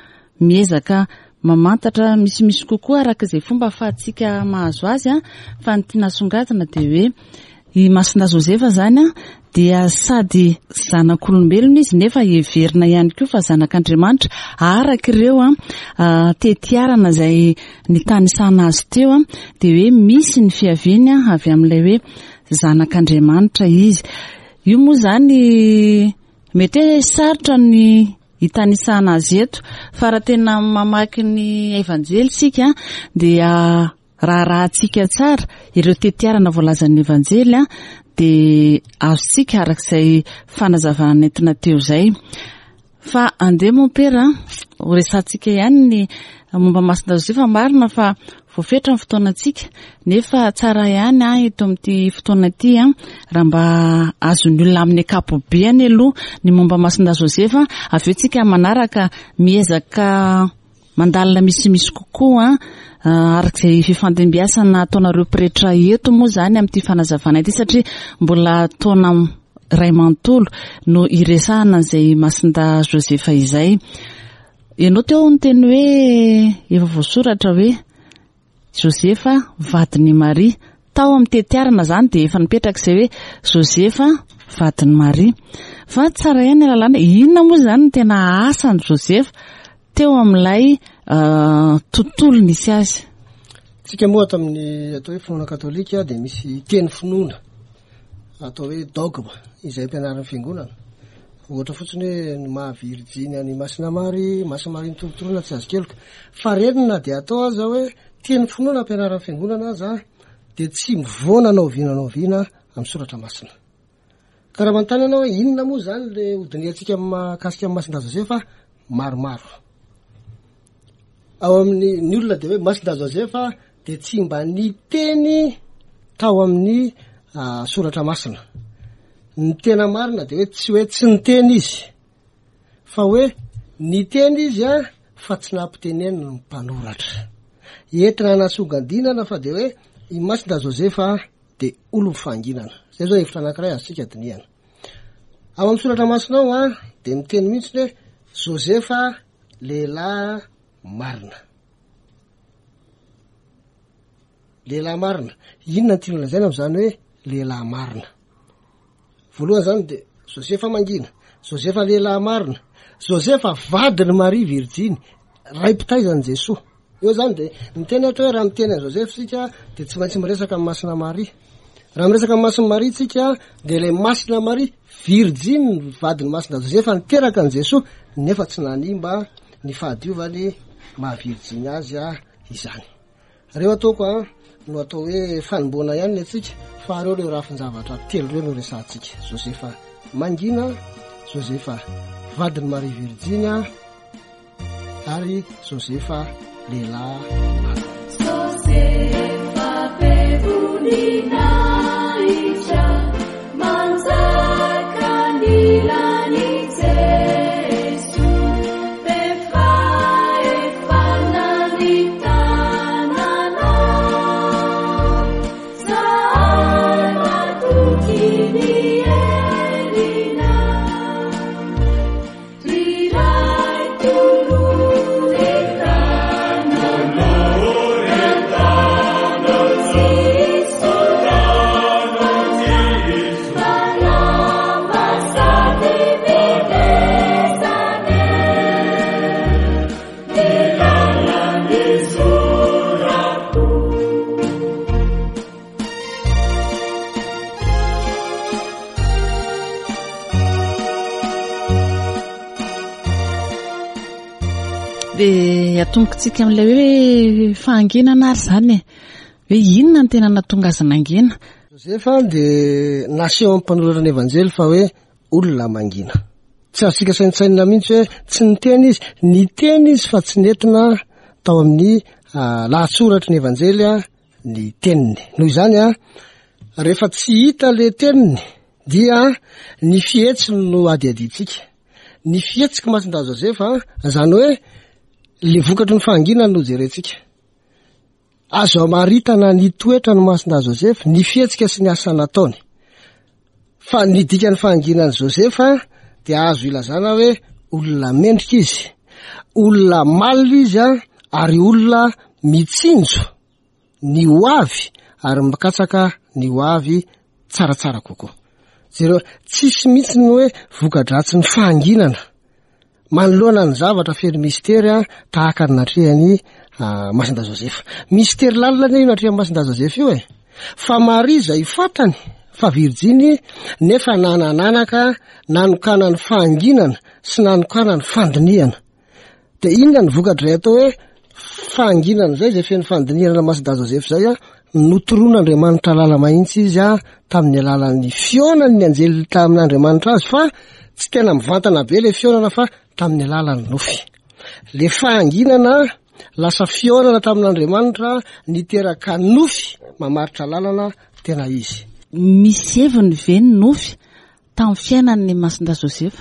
miezaka mamantatra misimisy kokoa araka izay fomba ahafahantsika mahazo azy a. Fa ny tiana asongadina dia hoe i Masindahy Josefa zany a dia sady zanak'olombelona izy nefa heverina ihany koa fa zanak'Andriamanitra, araka ireo a tetiarana izay nitanisana azy teo a, dia hoe misy ny fiaviany a avy amin'ilay hoe zanak'Andriamanitra izy. Io moa zany mety hoe sarotra ny hitanisana azy eto, fa raha tena mamaky ny Evanjely isika dia raharahantsika tsara ireo tetiarana voalazan'ny Evanjely a, dia azontsika araka izay fanazavana nentina teo izay. Fa andeha mompera ho resahantsika ihany ny momba Masindahy Josefa. Marina fa voafetra ny fotoanantsika, nefa tsara ihany a eto amin'ity fotoana ity a raha mba azon'ny olona amin'ny ankapobeny aloha ny momba Masindahy Josefa, avy eo tsika manaraka miezaka mandalina misimisy kokoa araka izay fifandimbiasana ataonareo pretra eto moa zany amin'ity fanazavana ity, satria mbola taona iray manontolo no iresahana an'izay Masindahy Josefa izay. Ianao teo niteny hoe efa voasoratra hoe Josefa vadin'i Maria. Tao amin'ny tetiarana zany dia efa nipetraka izay hoe Josefa vadin'i Maria. Fa tsara ihany ny lalàna. Inona moa zany no tena asan'i Josefa teo amin'ilay tontolo nisy azy? Tsika moa ato amin'ny atao hoe finoana katolika dia misy teny finoana atao hoe dogma izay ampianarin'ny fiangonana. Ohatra fotsiny hoe ny maha virjiny an'i Masina Maria, Masina Maria nitorotoroana tsy azo keloka. Fa reny na dia atao aza hoe teny finoana ampianarin'ny fiangonana aza dia tsy mivoana na oviana na oviana amin'ny soratra masina. Ka raha manontany ianao hoe inona moa zany le hodinihantsika mahakasika amin'ny Masindahy Josefa, maromaro. Ao amin'ny ny olona dia hoe Masindahy Josefa dia tsy mba niteny tao amin'ny soratra masina. Ny tena marina dia hoe tsy hoe tsy niteny izy, fa hoe niteny izy a fa tsy nampiteneniny ny mpanoratra. Entina hanasongadinana fa dia hoe i Masindahy Josefa dia olon'ny fahanginana. Zay zao hevitra anankiray azontsika dinihana. Ao amin'ny soratra masina ao a dia miteny mihitsy hoe Josefa lehilahy marina. Lehilahy marina. Inona no tiana lazaina amin'izany hoe lehilahy marina? Voalohany zany dia Josefa mangina, Josefa lehilahy marina, Josefa vadin'i Maria virjiny, ray mpitaizan'i Jesoa. Eo zany dia miteny ohatra hoe raha miteny an'i Josefa isika dia tsy maintsy miresaka amin'ny Masina Maria. Raha miresaka amin'ny Masina Maria isika dia ilay Masina Maria virjiny vadin'i Masina Josefa niteraka an'i Jesoa, nefa tsy nanimba ny fahadiovany maha virjiny azy izany. Reo ataoko a no atao hoe fanomboana ihany ny antsika, fa reo ireo rafin-javatra telo ireo no resahantsika. Josefa mangina, Josefa vadin'i Maria virjiny ary Josefa lehilahy marina. Josefa be voninahitra, manjaka ny lan'i Jesoa, be fahefana ny tananao, zahay matoky ny herinao, ry Ray tolory tananao, Dia atombokontsika amin'ilay hoe fahanginana ary zany e. Hoe inona no tena nahatonga azy nangina? Josefa dia naseho amin'ny mpanoratra ny Evanjely fa hoe olona mangina. Tsy azontsika saintsainina mihitsy hoe tsy niteny izy, niteny izy fa tsy nentina tao amin'ny lahatsoratry ny Evanjely ny teniny. Noho izany a, rehefa tsy hita le teniny dia ny fihetsiny no adiadintsika. Ny fihetsiky Masindahy Josefa, zany hoe Le vokatry ny fahanginana no jerentsika. Azo amaritana ny toetra ny Masindahy Joseph, ny fihetsika sy ny asa nataony. Fa ny dikan'ny fahanginan'i Joseph dia azo ilazana hoe olona mendrika izy, olona malina izy a, ary olona mitsinjo ny ho avy ary mikatsaka ny ho avy tsaratsara kokoa. Jereo, tsisy mihitsy ny hoe voka-dratsy ny fahanginana manoloana ny zavatra feno mistery a, tahaka ny natrehan'i Masindahy Joseph. Mistery lalina anie io natrehan'i Masindahy Joseph io e. Fa Maria izay fantany fa virjiny nefa nanananaka nanokana ny fahanginana sy nanokana ny fandinihana. De inona ny vokatry atao hoe fahanginana zay, zay feno fandinihana Masindahy Joseph zay a, notoroan'Andriamanitra lala mahitsy izy a, tamin'ny alalan'ny fihaonan'ny anjely tamin'Andriamanitra azy, fa tsy tena mivantana be le fihaonana fa tamin'ny alalan'ny nofy. Le fahanginana lasa fihaonana tamin'Andriamanitra niteraka nofy mamaritra lalana tena izy. Misy heviny ve ny nofy tamin'ny fiainan'ny Masindahy Joseph?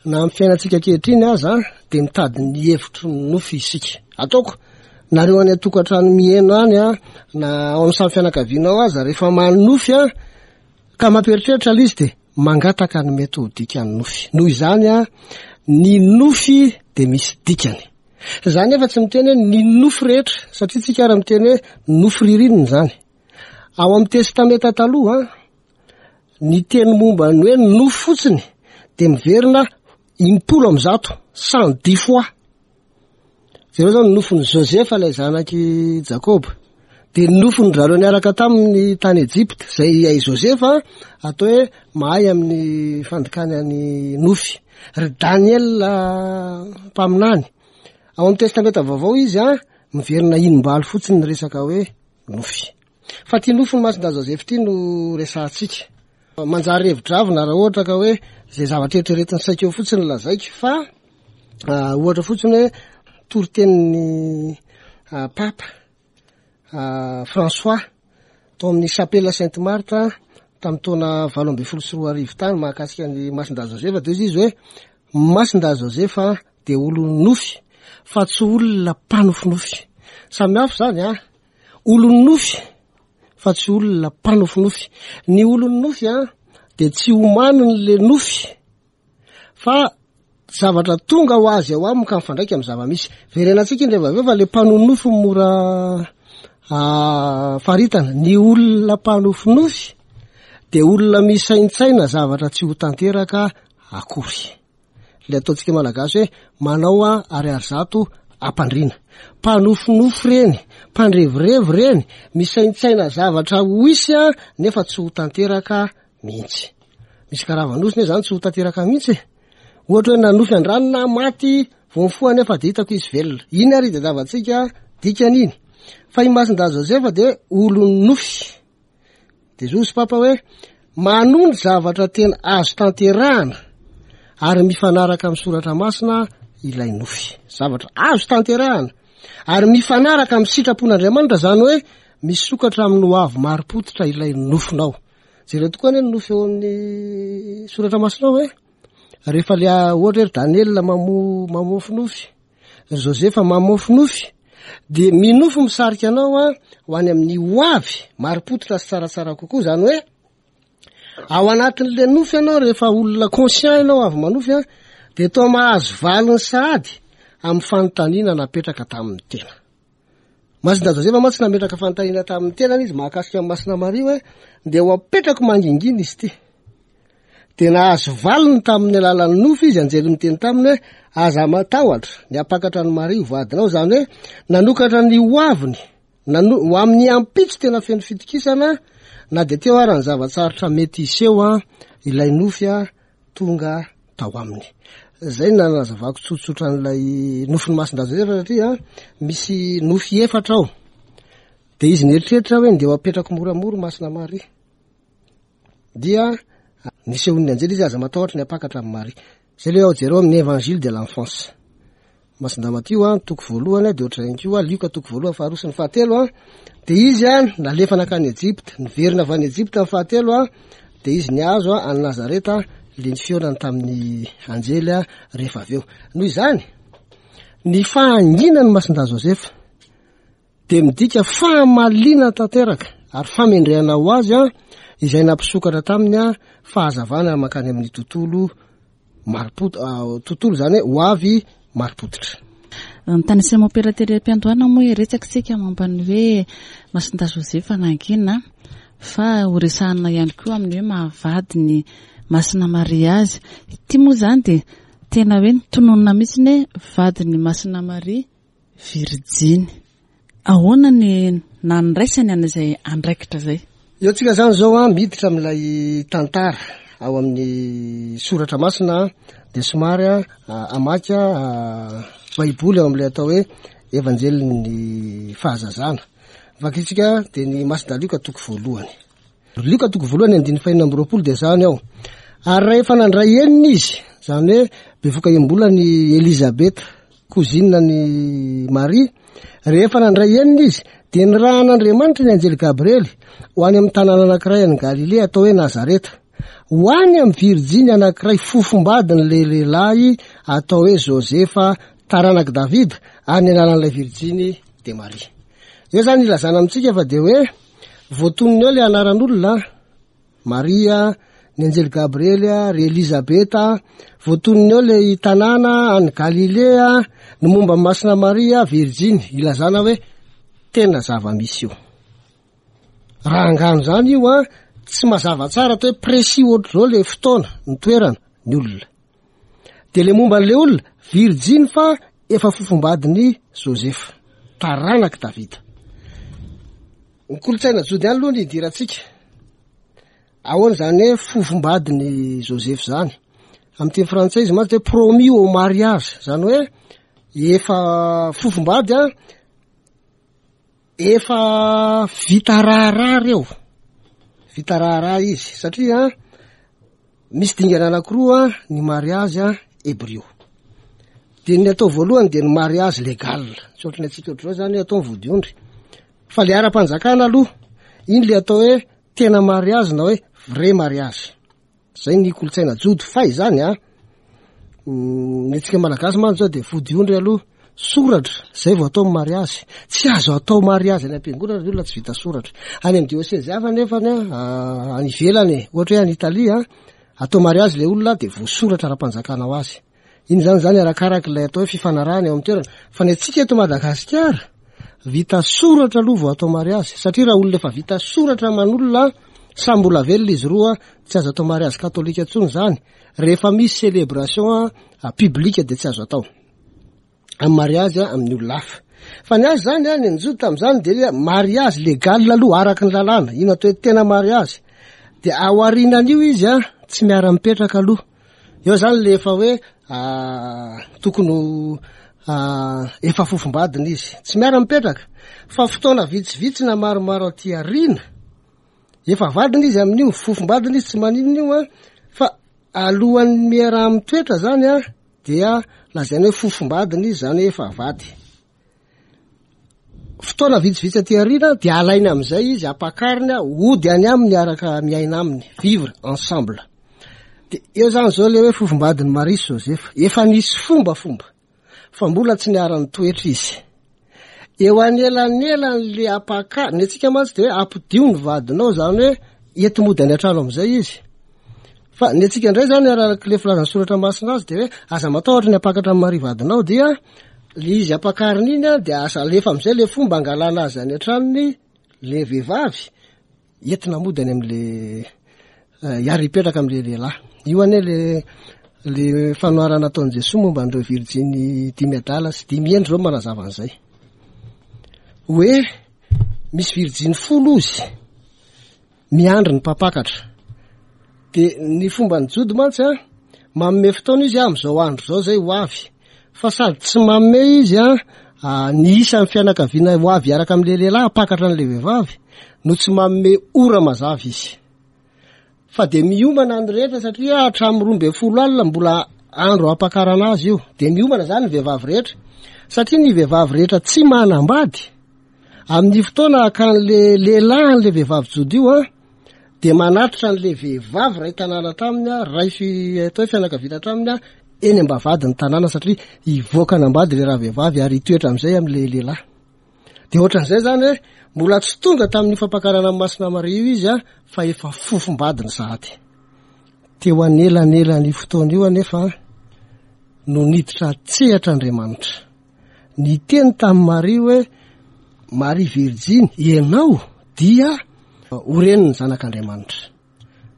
Na amin'ny fiainantsika ankehitriny aza dia mitady ny hevitry ny nofy isika. Ataoko nareo any an-tokantrano mihaino any a, na ao amin'ny samy fianakaviana ao aza, rehefa manofy a, ka mampieritreritra ilay izy dia mangataka ny mety ho dikan'ny nofy. Noho izany a, ny nofy dia misy dikany. Zany nefa tsy miteny hoe ny nofy rehetra, satria tsika ary miteny hoe nofy ririnina izany. Ao amin'ny Testamenta taloha, ny teny momba ny hoe nofy fotsiny dia miverina impolo amby zato, cent dix fois. Jereo zao ny nofin'i Josefa ilay zanak'i Jakoba, dia ny nofiny zareo niaraka taminy tany Ejipta, izay i Josefa atao hoe mahay amin'ny fandikana ny nofy. Ry Daniel mpaminany, ao amin'ny Testamenta vaovao izy a, miverina inim-balo fotsiny ny resaka hoe nofy. Fa ty nofy ny Masindahy Joseph ty no resahantsika. Manjary hevi-dravina raha ohatra ka hoe zay zavatra eritreretin'ny saiko eo fotsiny no lazaiko, fa ohatra fotsiny hoe toritenin'ny Papa François tao amin'ny Chapelle Sainte Marthe tamin'ny taona valo ambin'ny folo sy roa arivo tany mahakasika ny Masindahy Joseph, dia izy hoe Masindahy Joseph dia olon'ny nofy fa tsy olona mpanofinofy. Samy hafa zany a, olon'ny nofy fa tsy olona mpanofinofy. Ny olon'ny nofy a dia tsy homaniny le nofy fa zavatra tonga ho azy ao aminy ka mifandraika amin'ny zava-misy. Verenantsika indray avy eo fa le mpanofinofy mora faritana. Ny olona mpanofinofy dia olona misaintsaina zavatra tsy ho tanteraka akory. Le ataontsika malagasy hoe manao a ariary zato ampandriana. Mpanofinofy reny, mpandrevirevy reny, misaintsaina zavatra ho isy a nefa tsy ho tanteraka mihitsy. Misy karavan'osy ne zany tsy ho tanteraka mihitsy e. Ohatra hoe nanofy andrano na maty vao mifoha nefa dia hitako izy velona. Iny ary tadiavantsika dikany iny. Fa i Masindahy Joseph dia olon'ny nofy. Dia zozy Papa hoe manondro zavatra tena azo tanterahana ary mifanaraka amin'ny soratra masina ilay nofy. Zavatra azo tanterahana ary mifanaraka amin'ny sitrapon'Andriamanitra, zany hoe misokatra amin'ny ho avy marim-pototra ilay nofinao. Jereo tokoa anie ny nofy eo amin'ny soratra masina ao hoe rehefa le ohatra hoe ry Daniel mamo-, mamofy nofy, ry Josefa mamofy nofy, dia minofy misarika anao a ho any amin'ny ho avy marim-pototra sy tsaratsara kokoa. Zany hoe ao anatin'le nofy ianao rehefa olona conscient ianao avy manofy a, dia toa mahazo valiny sahady amin'ny fanontaniana napetraka tamin'ny tena. Masindahy Josefa mantsy nametraka fanontaniana tamin'ny tenany izy mahakasika amin'ny Masina Maria hoe ndeha ho apetrako mangingina izy ity. Dia nahazo valiny tamin'ny alalan'ny nofy izy, anjely miteny taminy hoe aza matahotra ny hampakatra an'i Maria ho vadinao. Zany hoe nanokatra ny ho aviny, nano-, ho amin'ny ampitso tena feno fitokisana na dia teo ara ny zava-tsarotra mety hiseho a, ilay nofy a tonga tao aminy. Zay no nanazavako tsotsotra an'ilay nofin'ny Masindahy Josefa satria misy nofy efatra ao. Dia izy nieritreritra hoe ndeha ho apetrako moramora Masina Maria. Dia nisehon'ny anjely izy aza matahotra ny hampakatra amin'i Maria. Zay le ao jereo amin'ny Évangile de l'enfance. Masindahy Matio a, toko voalohany a, dia ohatr'izay ihany koa, Lioka toko voalohany, faharoa sy ny fahatelo a. Dia izy a, nalefa nankany Ejipta, niverina avy any Ejipta ny fahatelo a, dia izy nihazo a, any Nazareta, le nifihaonany tamin'ny anjely a, rehefa avy eo. Noho izany, Ny fahanginan'i Masindahy Josefa dia midika fahamaliana tanteraka ary famendrehana ho azy a, izay nampisokatra taminy a fahazavana mankany amin'ny tontolo marim-pot-, tontolo izany hoe ho avy marim-pototra. Ny tany Saint-Mompera tery am-piandohana moa iretsaka isika momba ny hoe Masindahy Josefa nangina, fa ho resahana ihany koa amin'ny hoe mahavady ny Masina Maria azy. Ity moa izany dia tena hoe nitononina mihitsy ny hoe vadin'ny Masina Maria Virjiny. Ahoana ny nandraisany an'izay andraikitra izay? Eo tsika izany izao a, miditra amin'ilay tantara ao amin'ny soratra masina, dia somary a, hamaky a, Baiboly ao amin'ilay atao hoe Evanjelin'ny fahazazana. Vakitsika dia ny Masindahy Lioka toko voalohany. Lioka toko voalohany andininy fahenina amby roapolo dia izany ao. Ary rehefa nandray enina izy, izany hoe bevoka embolany Elizabeta, cousine ny Maria, rehefa nandray enina izy dia nirahan'Andriamanitra ny anjely Gabriely ho any amin'ny tanàna anankiray any Galilea atao hoe Nazareta, ho any amin'ny virjiny anankiray fofombadin'ilay lehilahy atao hoe Josefa taranak'i Davida, ary ny anaran'ilay virjiny dia Maria. Eo izany ilazana amintsika fa dia hoe voatonona eo ilay anaran'olona Maria, ny anjely Gabriely, ry Elizabeta, voatonona eo ilay tanàna any Galilea, ny momba ny Masina Maria virjiny, ilazana hoe tena zava-misy io. Raha angano izany io a, tsy mazava tsara atao hoe précis ohatr'izao ilay fotoana, ny toerana, ny olona. Dia ilay momba an'ilay olona, virjiny fa efa fofombadin'i Josefa, taranak'i Davida. Ny kolontsaina jody ihany aloha ny idirantsika. Ahoana izany hoe fofombadin'i Josefa izany? Amin'ny teny frantsay izy mantsy hoe promis au mariage, izany hoe efa fofombady a, efa vita raharaha reo. Vita raharaha izy satria misy dingana anankiroa ny mariage hebrio. Dia ny atao voalohany dia ny mariage légal, tsy ohatran'ny antsika ohatr'izao izany hoe atao ny vodiondry, fa le ara-panjakana aloha iny le atao hoe tena mariage na hoe vrai mariage. Zay ny kolontsaina jody fa izany a, mm, ny antsika malagasy mantsy zao dia vodiondry aloha, soratra zay vao atao mariage. Tsy azo atao mariage any am-piangonana ny olona tsy vita soratra. Any amin'ny diocèse hafa nefa ny a, any ivelany, ohatra hoe any Italia, atao mariage le olona dia voasoratra ara-panjakana ho azy. Iny zany zany arakaraka ilay atao hoe fifanarahana eo amin'ny toerana. Fa ny antsika eto Madagasikara vita soratra aloha vao atao mariage, satria raha olona efa vita soratra aman'olona samy mbola velona izy roa, tsy azo atao mariage katolika intsony zany. Rehefa misy célébration publique dia tsy azo atao amin'ny mariage amin'ny olona hafa. Fa ny azy zany a, ny anjody tamin'izany dia mariage légal aloha araka ny lalàna, ino atao hoe tena mariage. Dia aorianan'io izy a, tsy miara-mipetraka aloha. Eo zany le efa hoe, tokony ho, efa fofombadina izy, tsy miara-mipetraka fa fotoana vitsivitsy na maromaro aty aoriana efa vadina izy amin'io, fofombadina izy tsy maninona io a, fa alohan'ny miaraha-mitoetra zany a dia lazaina hoe fofombadina izy, zany hoe efa vady. Fotoana vitsivitsy aty aoriana dia alaina amin'izay izy, ampakariny hody any aminy miaraka miaina aminy, vivre ensemble. De eo zany zao le hoe fofombadin'i Maria sy Josefa, efa nisy fombafomba fa mbola tsy niara-nitoetra izy. Eo anelanelan'le ampaka-, ny antsika mantsy de hoe ampidio ny vadinao, zany hoe ety mody any an-trano amin'izay izy. Fa ny antsika indray zany araka le filazan'ny soratra masina azy de hoe aza matahotra ny ampakatra amin'i Maria vadinao, dia le izy ampakarina iny a, dia aza alefa amin'izay le fomba angalana azy any an-tranony le vehivavy, entina mody any amin'le, hiary hipetraka amin'le lehilahy. Io anie le, le fanoharana ataon'i Jesoa momba an'ireo virjiny dimy adala sy dimy hendry zao manazava an'izay. Hoe misy virjiny folo izy miandry ny mpampakatra. De ny fomba ny jody mantsy a, manome fotoana izy amin'izao andro izao zay ho avy. Fa sady tsy manome izy a, ny isan'ny fianakaviana ho avy hiaraka amin'ilay lehilahy hampakatra an'ilay vehivavy, no tsy manome ora mazava izy. Fa de miomana ny rehetra satria hatramin'ny roa ambin'ny folo alina mbola andro hampakarana azy io. De miomana zany ny vehivavy rehetra, satria ny vehivavy rehetra tsy manambady amin'ny fotoana hakan'le lehilahy an'le vehivavy jody io a, de manatitra an'le vehivavy ray tanàna taminy a, ray fi-, atao hoe fianakaviana taminy a, eny am-bavahadin'ny tanàna satria hivoaka hanambady le ravehivavy ary hitoetra amin'izay amin'le lehilahy. De ohatran'izay zany hoe mbola tsy tonga tamin'ny fampakarana an'i Masina Maria io izy a, fa efa fofombadiny sahady. Teo anelanelan'io fotoana io anefa no niditra an-tsehatra Andriamanitra. Niteny tamin'i Maria hoe, Maria Virjiny, ianao dia ho renin'ny zanak'Andriamanitra.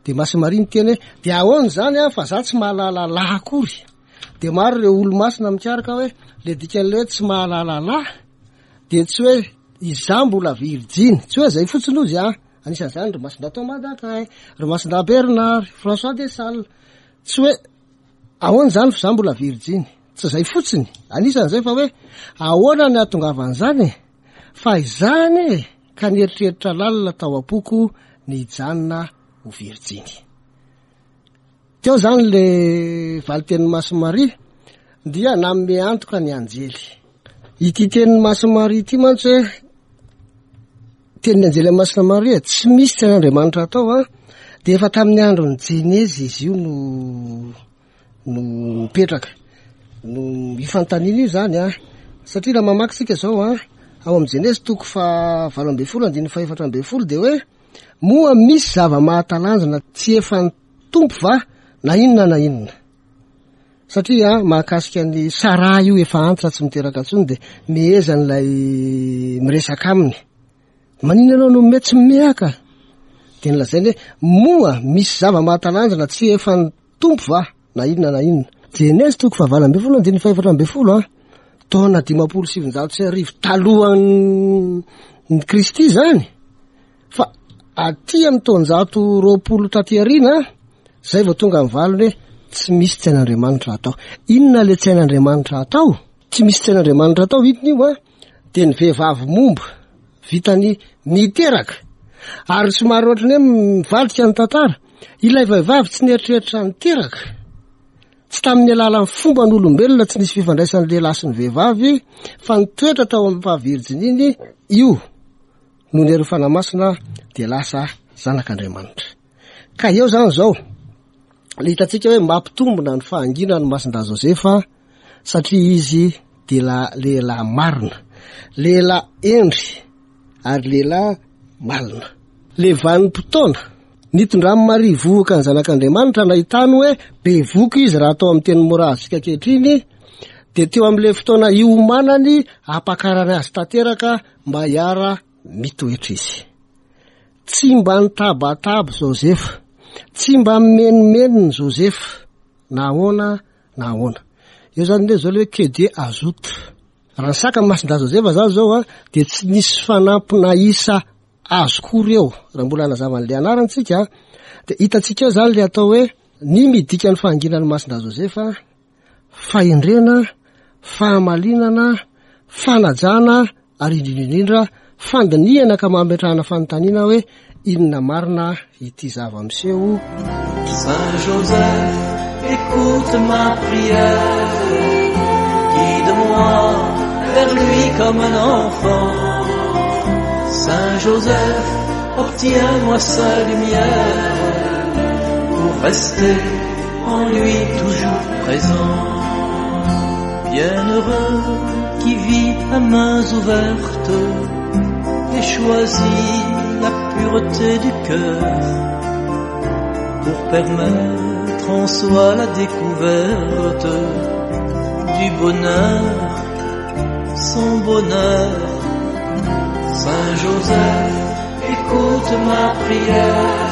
De Masina Maria niteny hoe, de ahoana izany a, fa za tsy mahalala lahy akory. De maro ireo olo-masina mikaroka hoe, le dikan'ilay hoe tsy mahalala lahy, de tsy hoe izaho mbola virjiny, tsy hoe zay fotsiny ozy a. Anisan'izany ry Masindahy Thomas d'Aquin, ry Masindahy Bernard, François de Sales. Tsy hoe ahoana izany fa izaho mbola virjiny, tsy zay fotsiny, anisan'izay fa hoe ahoana ny hahatongavan'izany e? Fa izany e, ka nieritreritra lalina tao am-poko ny hijanona ho virjiny. Teo zany le valitenin'i Masina Maria dia nanome antoka ny anjely. Ity tenin'i Masina Maria ity mantsy hoe tenin'ny anjely amin'i Masina Maria, tsy misy tsy hain'Andriamanitra atao a, dia efa tamin'ny andron'ny Jenezy izy io no, no mipetraka. No ifanontaniana io zany a, satria raha mamaky tsika zao a, ao amin'ny Jenezy toko fahavalo ambin'ny folo andininy fahefatra ambin'ny folo dia hoe moa misy zava-mahatalanjona tsy efa ny Tompo va na inona na inona. Satria mahakasika ny Saraha io efa antitra tsy miteraka intsony dia mehezan'ilay miresaka aminy. Maninona ianao no mety tsy mihaka? Dia nolazainy hoe moa misy zava-mahatalanjona tsy efa ny Tompo va na inona na inona. Jenezy toko fahavalo ambin'ny folo andininy fahefatra ambin'ny folo a, taona dimampolo sy sivinjato sy arivo talohan'ny Kristy zany, fa aty amin'ny taonjato roapolo taty aoriana zay vao tonga ny valiny hoe tsy misy tsy hain'Andriamanitra atao. Inona le tsy hain'Andriamanitra atao? Tsy misy tsy hain'Andriamanitra atao, inona io a? Dia ny vehivavy momba vitany niteraka, ary somary ohatran'ny hoe mivadika ny tantara, ilay vehivavy tsy nieritreritra niteraka, tsy tamin'ny alalan'ny fomban'olombelona tsy nisy fifandraisan'ny lehilahy sy ny vehivavy, fa nitoetra tao amin'ny fahavirjininy io no ny herin'ny Fanahy Masina dia lasa zanak'Andriamanitra. Ka eo zany zao, le hitantsika hoe mampitombina ny fahanginan'ny Masindahy Josefa, satria izy dia la-, lehilahy marina, lehilahy hendry ary lehilahy malina. Le vanim-potoana nitondran'i Maria vohoka ny zanak'Andriamanitra nahitany hoe bevoka izy raha atao amin'ny teny mora azontsika ankehitriny, dia teo amin'ilay fotoana iomanany hampakarany azy tanteraka mba hiara mitoetra izy. Tsy mba nitabataba Josefa, tsy mba mimenomenona Josefa, na ahoana na ahoana. Eo zany le zao le hoe que Dieu ajoute. Raha nisaka ny Masindahy Josefa zany zao a, dia tsy nisy fanampina isa azo kory eo. Raha mbola hanazava an'ilay anarana tsika, dia hitantsika eo zany le atao hoe ny midika ny fahanginan'ny Masindahy Josefa, fahendrena, fahamalinana, fanajana ary indrindra indrindra fandinihana ka mametrahana fanontaniana hoe inona marina ity zava-miseho. Saint Joseph, écoute ma prière, guide-moi vers lui comme un enfant. Saint Joseph, obtiens-moi sa lumière pour rester en lui toujours présent. Bienheureux qui vit à mains ouvertes et choisit la pureté du cœur pour permettre en soi la découverte du bonheur, son bonheur. Saint Joseph, écoute ma prière,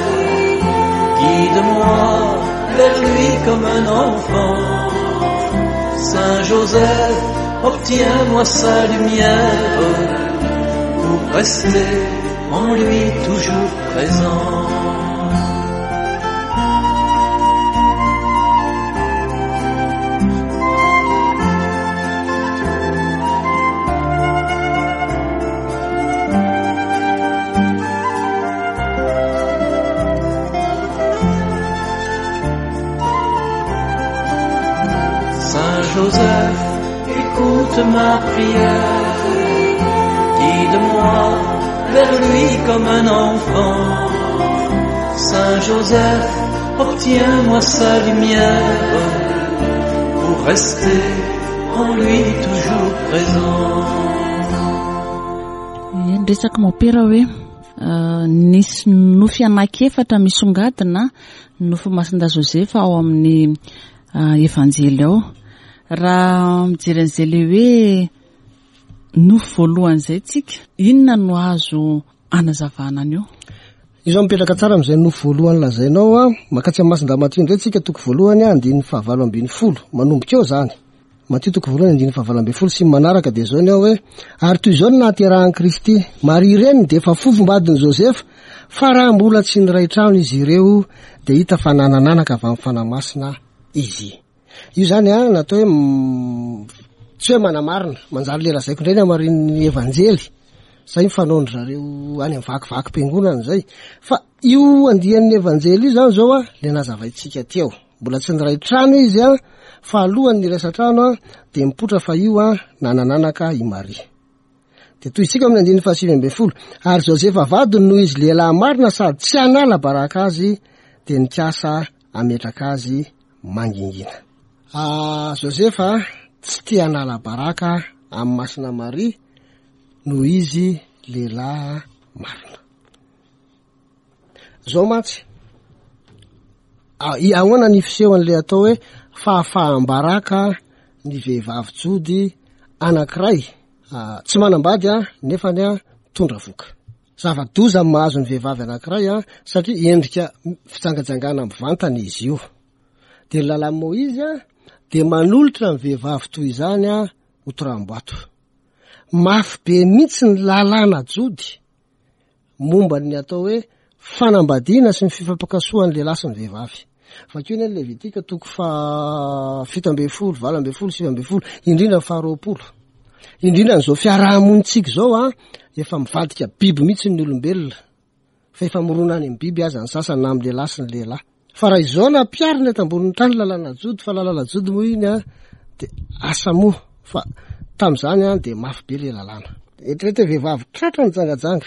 guide-moi vers lui comme un enfant. Saint Joseph, obtiens-moi sa lumière pour rester en lui toujours présent. Saint Joseph, écoute ma prière, guide-moi vers lui comme un enfant. Saint Joseph, obtiens-moi sa lumière Pour rester en lui toujours présent. Ny resaka mopera hoe nisy nofy anankiefatra misongadina nofy Masindahy Josefa ao amin'ny Evanjely ao. Raha mijery an'izay le hoe nofy voalohany izay tsika, inona no azo anazavana an'io? Io zao mipetraka tsara amin'izay nofy voalohany lazainao a, makatsy amin'ny Masindahy Matio indray tsika toko voalohany a, andininy fahavalo ambin'ny folo, manomboka eo zany. Matio toko voalohany andininy fahavalo ambin'ny folo sy ny manaraka dia zao ny ao hoe ary toy izao no nahaterahan'i Kristy. Maria reniny dia efa fofombadin'i Josefa, fa raha mbola tsy niray trano izy ireo dia hita fa nanananaka avy amin'ny Fanahy Masina izy. Io zany a natao hoe tsy hoe manamarina, manjary le lazaiko indray ny hamarin'ny Evanjely. Zay ny fanaon-dry zareo any amin'ny vakivakim-piangonana zay. Fa io andian'ny Evanjely io zany zao a, le nazavaintsika teo. Mbola tsy niray trano izy a, fa alohan'ny niraisa trano a, dia mipoitra fa io a, nanananaka i Maria. Dia toy isika amin'ny andininy fahasivy ambin'ny folo. Ary Josefa vadiny noho izy lehilahy marina sady tsy hanala baraka azy, dia nikasa hametraka azy mangingina. Ah, Josefa tsy te hanala baraka amin'ny Masina Maria noho izy lehilahy marina. Zao mantsy, ahoana ny fisehoan'ilay atao hoe fahafaham-baraka ny vehivavy jody anankiray, ah, tsy manambady a, nefa ny a mitondra vohoka. Zava-doza ny mahazo ny vehivavy anankiray a, satria endrika fijangajangana mivantana izy io. Dia ny lalàn'i Moizy a, dia manolotra ny vehivavy toy izany a ho toraham-bato. Mafy be mihitsy ny lalàna jody momba ny atao hoe fanambadiana sy ny fifampikasohan'ny lehilahy sy ny vehivavy. Vakio ny Levitika toko faha fito ambin'ny folo, valo ambin'ny folo, sivy ambin'ny folo, indrindra ny faharoapolo. Indrindra n'izao fiarahamonintsika izao a, efa mivadika biby mihitsy ny olombelona. Fa efa mirona any amin'ny biby aza ny sasany na amin'ny lehilahy sy ny lehilahy. Fa raha izao nampiharina eto ambonin'ny tany lalàna jody, fa lalàna jody moa iny a, dia asa moa fa tamin'izany a dia mafy be le lalàna. Eritrereto hoe vehivavy tratra nijangajanga.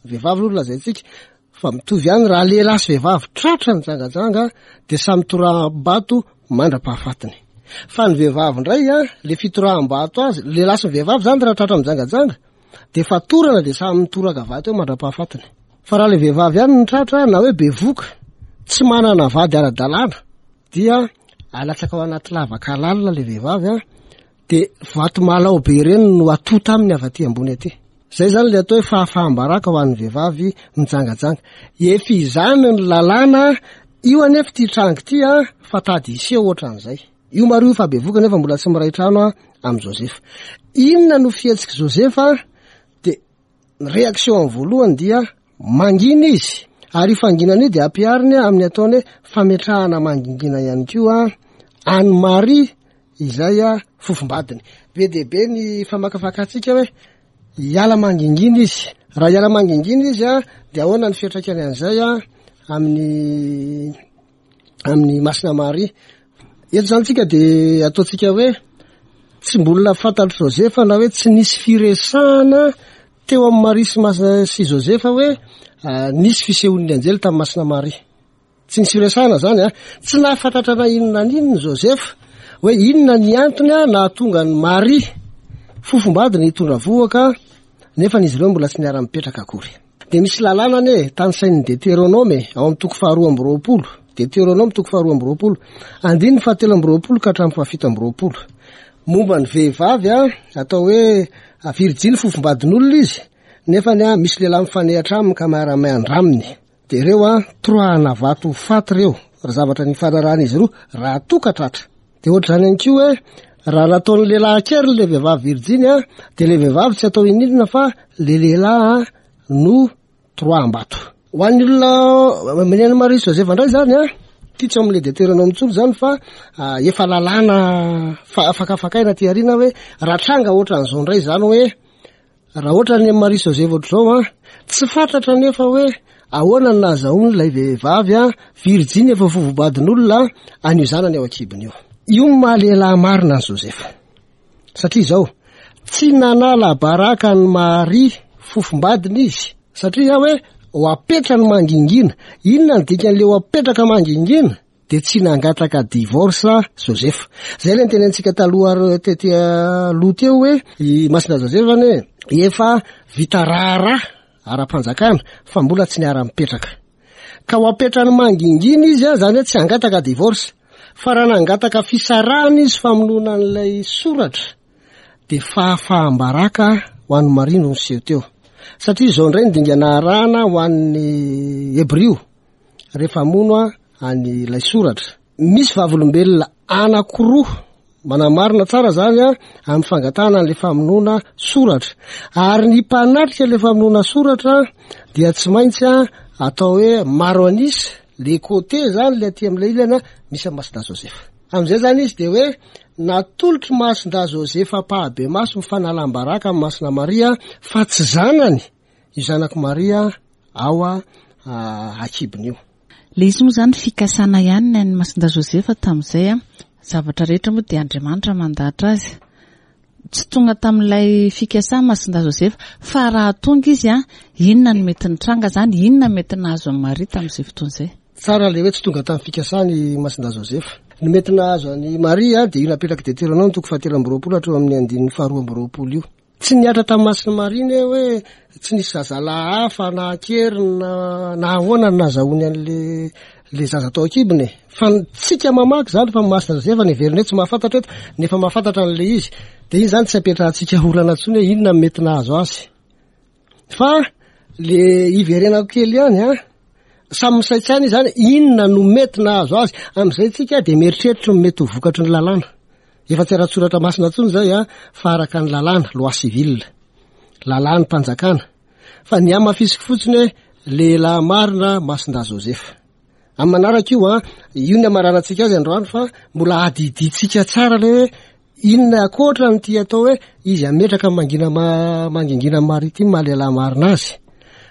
Vehivavy aloha no lazaintsika, fa mitovy ihany raha lehilahy sy vehivavy tratra nijangajanga dia samy toraham-bato mandra-pahafatiny. Fa ny vehivavy indray a, le fitoraham-bato azy, lehilahy sy ny vehivavy zany raha tratra mijangajanga dia fatorana dia samy mitoraka vato eo mandra-pahafatiny. Fa raha le vehivavy ihany no tratra na hoe bevoka, tsy manana vady ara-dalàna, dia alatsaka ao anaty lavaka lalina le vehivavy a, dia vato malao be ireny no atota aminy avy aty ambony aty. Zay zany le atao hoe fahafaham-baraka ho an'ny vehivavy mijangajanga. Efa izany ny lalàna, io anefa ity tranga ity a, fa tady hiseho ohatran'izay. Io Maria io fa bevoka nefa mbola tsy miray trano a amin'i Josefa. Inona no fihetsik'i Josefa? Dia ny réaction amin'ny voalohany dia mangina izy. Ary io fanginana io dia ampihariny amin'ny ataony hoe fametrahana mangingina ihany koa an'i Maria izay a fofombadiny. Be dia be ny famakafakantsika hoe hiala mangingina izy. Raha hiala mangingina izy a, dia ahoana ny fiantraikany an'izay a amin'ny, amin'ny Masina Maria? Eto zany tsika dia ataontsika hoe tsy mbola fantatr'i Josefa na hoe tsy nisy firesahana teo amin'ny Maria sy Mas-, sy Josefa hoe, ah, nisy fisehoan'ny anjely tamin'ny Masina Maria. Tsy nisy firesahana zany a, tsy nahafantatra na inona na inona Josefa hoe inona ny antony a nahatonga an'i Maria fofombadiny hitondra vohoka nefa izy ireo mbola tsy niara-mipetraka akory. Dia misy lalàna anie tanisain'ny Deutéronome ao amin'ny toko faharoa amby roapolo. Deutéronome toko faharoa amby roapolo, andininy fahatelo amby roapolo ka hatramin'ny fahafito amby roapolo. Momba ny vehivavy a, atao hoe virjiny fofombadin'olona izy, nefa ny a misy lehilahy mifanehatra aminy ka miara-miandra aminy. Dia ireo a toroahana vato ho faty ireo, raha zavatra nifanarahan'izy roa, raha toa ka tratra. Dia ohatr'izany ihany koa hoe raha nataon'ny lehilahy an-keriny le vehivavy virjiny a, dia le vehivavy tsy atao ininona fa le lehilahy a no toroaham-bato. Ho an'ny olona maneno Maria sy Josefa indray zany a, ty tsy ao amin'ilay Deutéronome intsony zany fa, ah, efa lalàna fa-, fakafakaina aty aoriana hoe raha tranga ohatran'izao indray zany hoe raha ohatra ny Maria sy Josefa ohatr'izao a, tsy fantatra nefa hoe ahoana ny nahazahoany ilay vehivavy a virjiny efa fofombadin'olona an'io zanany ao an-kibony io. Io no maha lehilahy marina an'i Josefa. Satria izao, tsy nanala baraka an'i Maria fofombadiny izy, satria hoe ho apetrany mangingina. Inona ny dikan'ilay ho apetraka mangingina? de tsy nangataka divorce Joseph. Zay le nitenentsika taloha tety aloha teo hoe i Masina Joseph ane efa vita raharaha ara-panjakana fa mbola tsy niara-mipetraka. Ka ho apetrany mangingina izy a, zany hoe tsy hangataka divorce. Fa raha nangataka fisarahana izy famonoana an'ilay soratra de fahafaham-baraka ho an'i Maria no niseho teo. Satria izao indray ny dingana arahana ho an'ny Hebrio rehefa hamono an'ilay soratra. Misy vavolombelona anankiroa manamarina tsara zany a amin'ny fangatahana an'ilay famonoana soratra. Ary ny mpanatrika ilay famonoana soratra dia tsy maintsy a atao hoe maro an'isa, le côté zany le aty amin'ilay ilany a misy an'i Masindahy Joseph. Amin'izay zany izy de hoe natolotry Masindahy Joseph ampahibemaso ny fanalam-baraka amin'ny Masina Maria fa tsy zanany io zanak'i Maria ao a akibony io. Le izy moa zany fikasana ihany ny an'i Masindahy Joseph tamin'izay a. Zavatra rehetra moa dia Andriamanitra mandahatra azy. Tsy tonga tamin'ilay fikasana Masindahy Joseph fa raha tonga izy a, inona no mety nitranga zany, inona no mety nahazo an'i Maria tamin'izay fotoana izay? Tsara le hoe tsy tonga tamin'ny fikasana i Masindahy Joseph. Ny mety nahazo an'i Maria dia io napetrak'i Deutéronome toko fahatelo amby roapolo hatreo amin'ny andininy faharoa amby roapolo io. Tsy nihatra tamin'ny Masina Maria ny hoe tsy nisy zazalahy hafa na an-keriny na, na ahoana no nahazahoany an'le le zaza tao an-kibony e. Fa tsika mamaky zany fa Masina Joseph ny heveriny hoe tsy mahafantatra eto, nefa mahafantatra an'le izy. De iny zany tsy apetrahantsika olana intsony hoe inona no mety nahazo azy. Fa le iverenako kely ihany a, samy misaintsaina izy zany inona no mety nahazo azy. Amin'izay tsika de mieritreritra ny mety ho vokatry ny lalàna. Efa tsy ara-tsoratra masina intsony zay a, fa araka ny lalàna, loi civile, lalàn'ny mpanjakana. Fa ny hamafisiko fotsiny hoe lehilahy marina Masindahy Joseph. Amin'ny manaraka io a, io ny amararantsika azy androany fa mbola adidintsika tsara le hoe inona ankoatra nyity atao hoe izy ametraka mangina ma-, mangingina Maria ity maha lehilahy marina azy.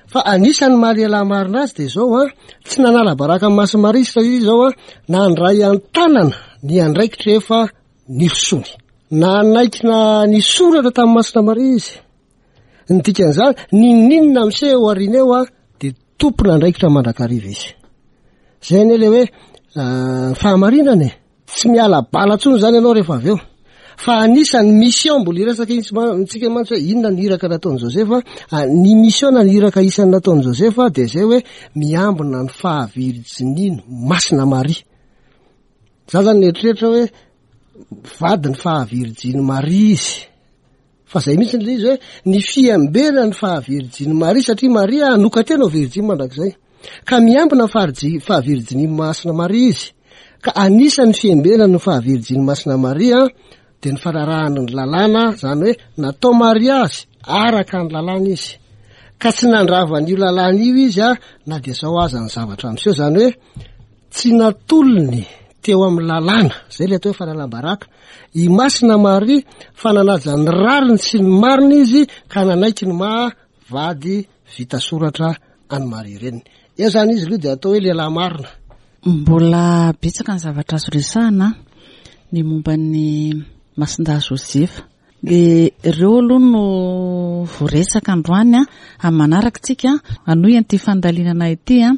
Fa anisan'ny maha lehilahy marina azy de zao a, tsy nanala baraka amin'ny Masina Maria izy fa izy zao a, nandray an-tanana ny andraikitra efa nirosony. Nanaiky na nisoratra tamin'ny Masina Maria izy. Ny dikan'izany, n'inon'inona miseho aoriana eo a, de tompon'andraikitra mandrakariva izy. Zay anie le hoe, ah, fahamarinana e. Tsy miala bala intsony zany ianao rehefa avy eo. Fa anisan'ny mission mbola hiresaka itsy ma-, tsika mantsy hoe inona ny iraka nataon'i Joseph, ah, ny mission na ny iraka isan'ny nataon'i Joseph de zay hoe miambina ny fahavirjininy Masina Maria. Za zany nieritreritra hoe vady ny fahavirjiny Maria izy. Fa zay mihitsy le izy hoe ny fiambena ny fahavirjiny Maria satria Maria hanoka-tena ho virjiny mandrakizay. Ka miambina ny faharji-, fahavirjiny Masina Maria izy. Ka anisan'ny fiambena ny fahavirjiny Masina Maria de ny fanarahana ny lalàna, zany hoe natao mariazy araka ny lalàna izy. Ka tsy nandrava an'io lalàna io izy a, na de zao aza ny zavatra miseho, zany hoe tsy natolony teo amin'ny lalàna, zay le atao hoe fanalam-baraka. I Masina Maria fa nanaja ny rariny sy ny marina izy ka nanaiky ny maha vady vita soratra an'i Maria reniny. Eo zany izy aloha de atao hoe lehilahy marina. Mbola betsaka ny zavatra azo resahana ny momba ny Masindahy Joseph. E, ireo aloha no voaresaka androany a, amin'ny manaraka tsika hanohy an'ity fandalinana ity a.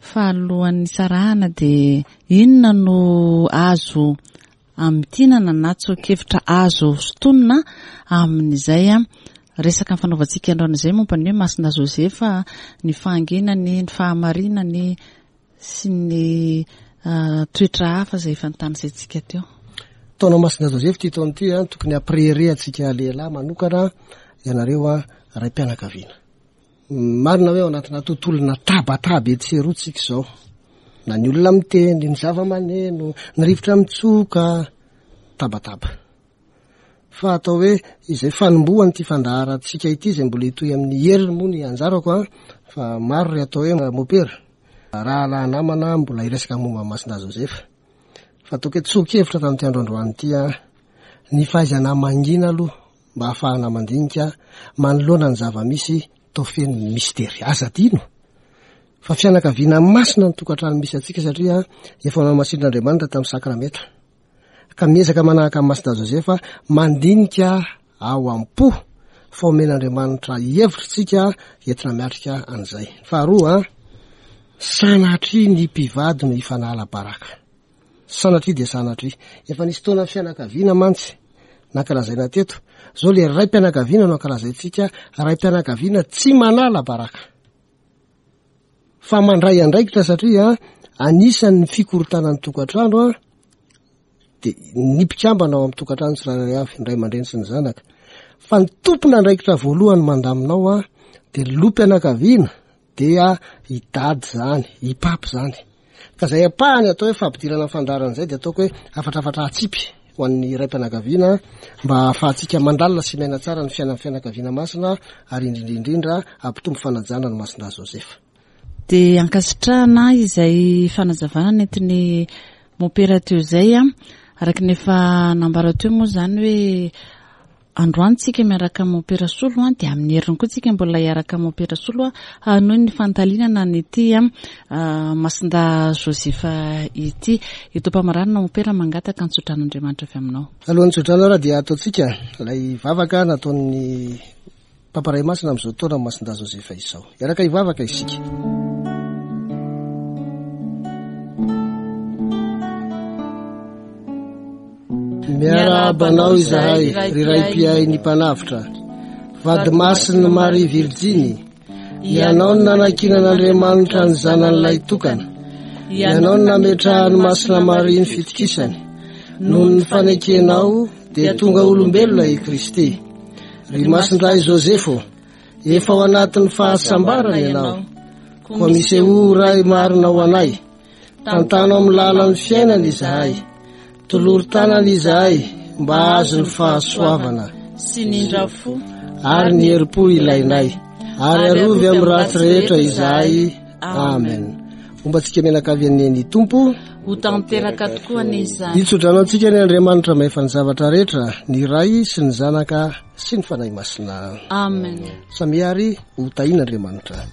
Fa alohan'ny sarahana de inona no azo amintinana na tsoa-kevitra azo sintonina amin'izay a resaka ny fanaovantsika androany izay momba ny hoe Masindahy Joseph, ny fahanginany, ny fahamarinany sy ny, ah, toetra hafa izay efa notanisaintsika teo. Taona Masindahy Joseph ity taona ity a, tokony hampirehareha antsika lehilahy manokana ianareo a, ray-pianakaviana. Marina hoe ao anatina tontolona tabataba etsy sy eroa tsika izao. Na ny olona miteny, ny zava-maneno, ny rivotra mitsoka, tabataba. Fa atao hoe izay fanombohan'ity fandaharantsika ity izay mbola hitohy amin'ny heriny moa ny anjarako a, fa maro ry atao hoe mopera. Rahalahy namana mbola hiresaka momba ny Masindahy Joseph. Fa ataoko hoe tsoa-kevitra tamin'ity andro androany ity a, ny fahaizana mangina aloha mba hahafahana mandinika manoloana ny zava-misy tao feno ny mistery. Aza adino fa fianakaviana masina ny tokantrano misy antsika satria efa namasin'Andriamanitra tamin'ny sakramenta. Ka miezaka manahaka amin'ny Masindahy Joseph mandinika ao am-po fa omen'Andriamanitra hevitra tsika entina miatrika an'izay. Faharoa, Sanatria ny mpivady no hifanala baraka. Sanatria dia sanatria. Efa nisy taona fianakaviana mantsy nankalazaina teto. Zao le ray-pianakaviana no ankalazaintsika, ray-pianakaviana tsy manala baraka. Fa mandray andraikitra satria anisan'ny fikorontanan'ny tokantrano a, de ny mpikambana ao amin'ny tokantrano tsirairay avy, ny ray aman-dreny sy ny zanaka. Fa ny tompon'andraikitra voalohany mandaminao a, de loham-pianakaviana dia i dady zany, i papa zany. Ka zay ampahany atao hoe fampidirana ny fandaharana izay dia ataoko hoe hafatrafatra atsipy ho an'ny ray-pianakaviana mba ahafahantsika mandalina sy miaina tsara ny fiainan'ny fianakaviana masina ary indrindra indrindra hampitombo fanajana ny Masindahy Josefa. Dia ankasitrahana izay fanazavana nentin'ny mompera teo izay a, araka ny efa nambara teo moa zany hoe androany tsika miaraka amin'ny mompera Solo a, dia amin'ny heriny koa tsika mbola hiaraka amin'ny mompera Solo a, hanohy ny fandalinana an'ity a, Masindahy Josefa ity. Eto am-pamaranana mompera mangataka ny tsotran'Andriamanitra avy aminao. Alohan'ny tsodrano ara dia ataontsika ilay vavaka nataon'ny Papa Ray Masina amin'izao taona Masindahy Josefa izao. Hiaraka hivavaka isika. Miarahaba anao izahay, ry Ray mpiahy ny Mpanavotra, vady masin'i Maria Virjiny, ianao no nanankinan'Andriamanitra ny zanany lahitokana, ianao no nametrahan'i Masina Maria ny fitokisany, noho ny fanekenao dia tonga olombelona i Kristy. Ry Masindahy Josefo, efa ao anatin'ny fahasambarana ianao, koa misehoa Ray marina ho anay, tantano amin'ny lalan'ny fiainana izahay, tolory tanana izahay mba hahazo ny fahasoavana sy ny indrafo ary ny herim-po ilainay, ary arovy amin'ny ratsy rehetra izahay. Amen. Hombantsika mianakavy anie ny Tompo. Ho tanteraka tokoa anie izany. Hitsodrano antsika ny Andriamanitra mahefa ny zavatra rehetra, ny Ray sy ny Zanaka sy ny Fanahy Masina. Amen. Samy ary ho tahian'Andriamanitra.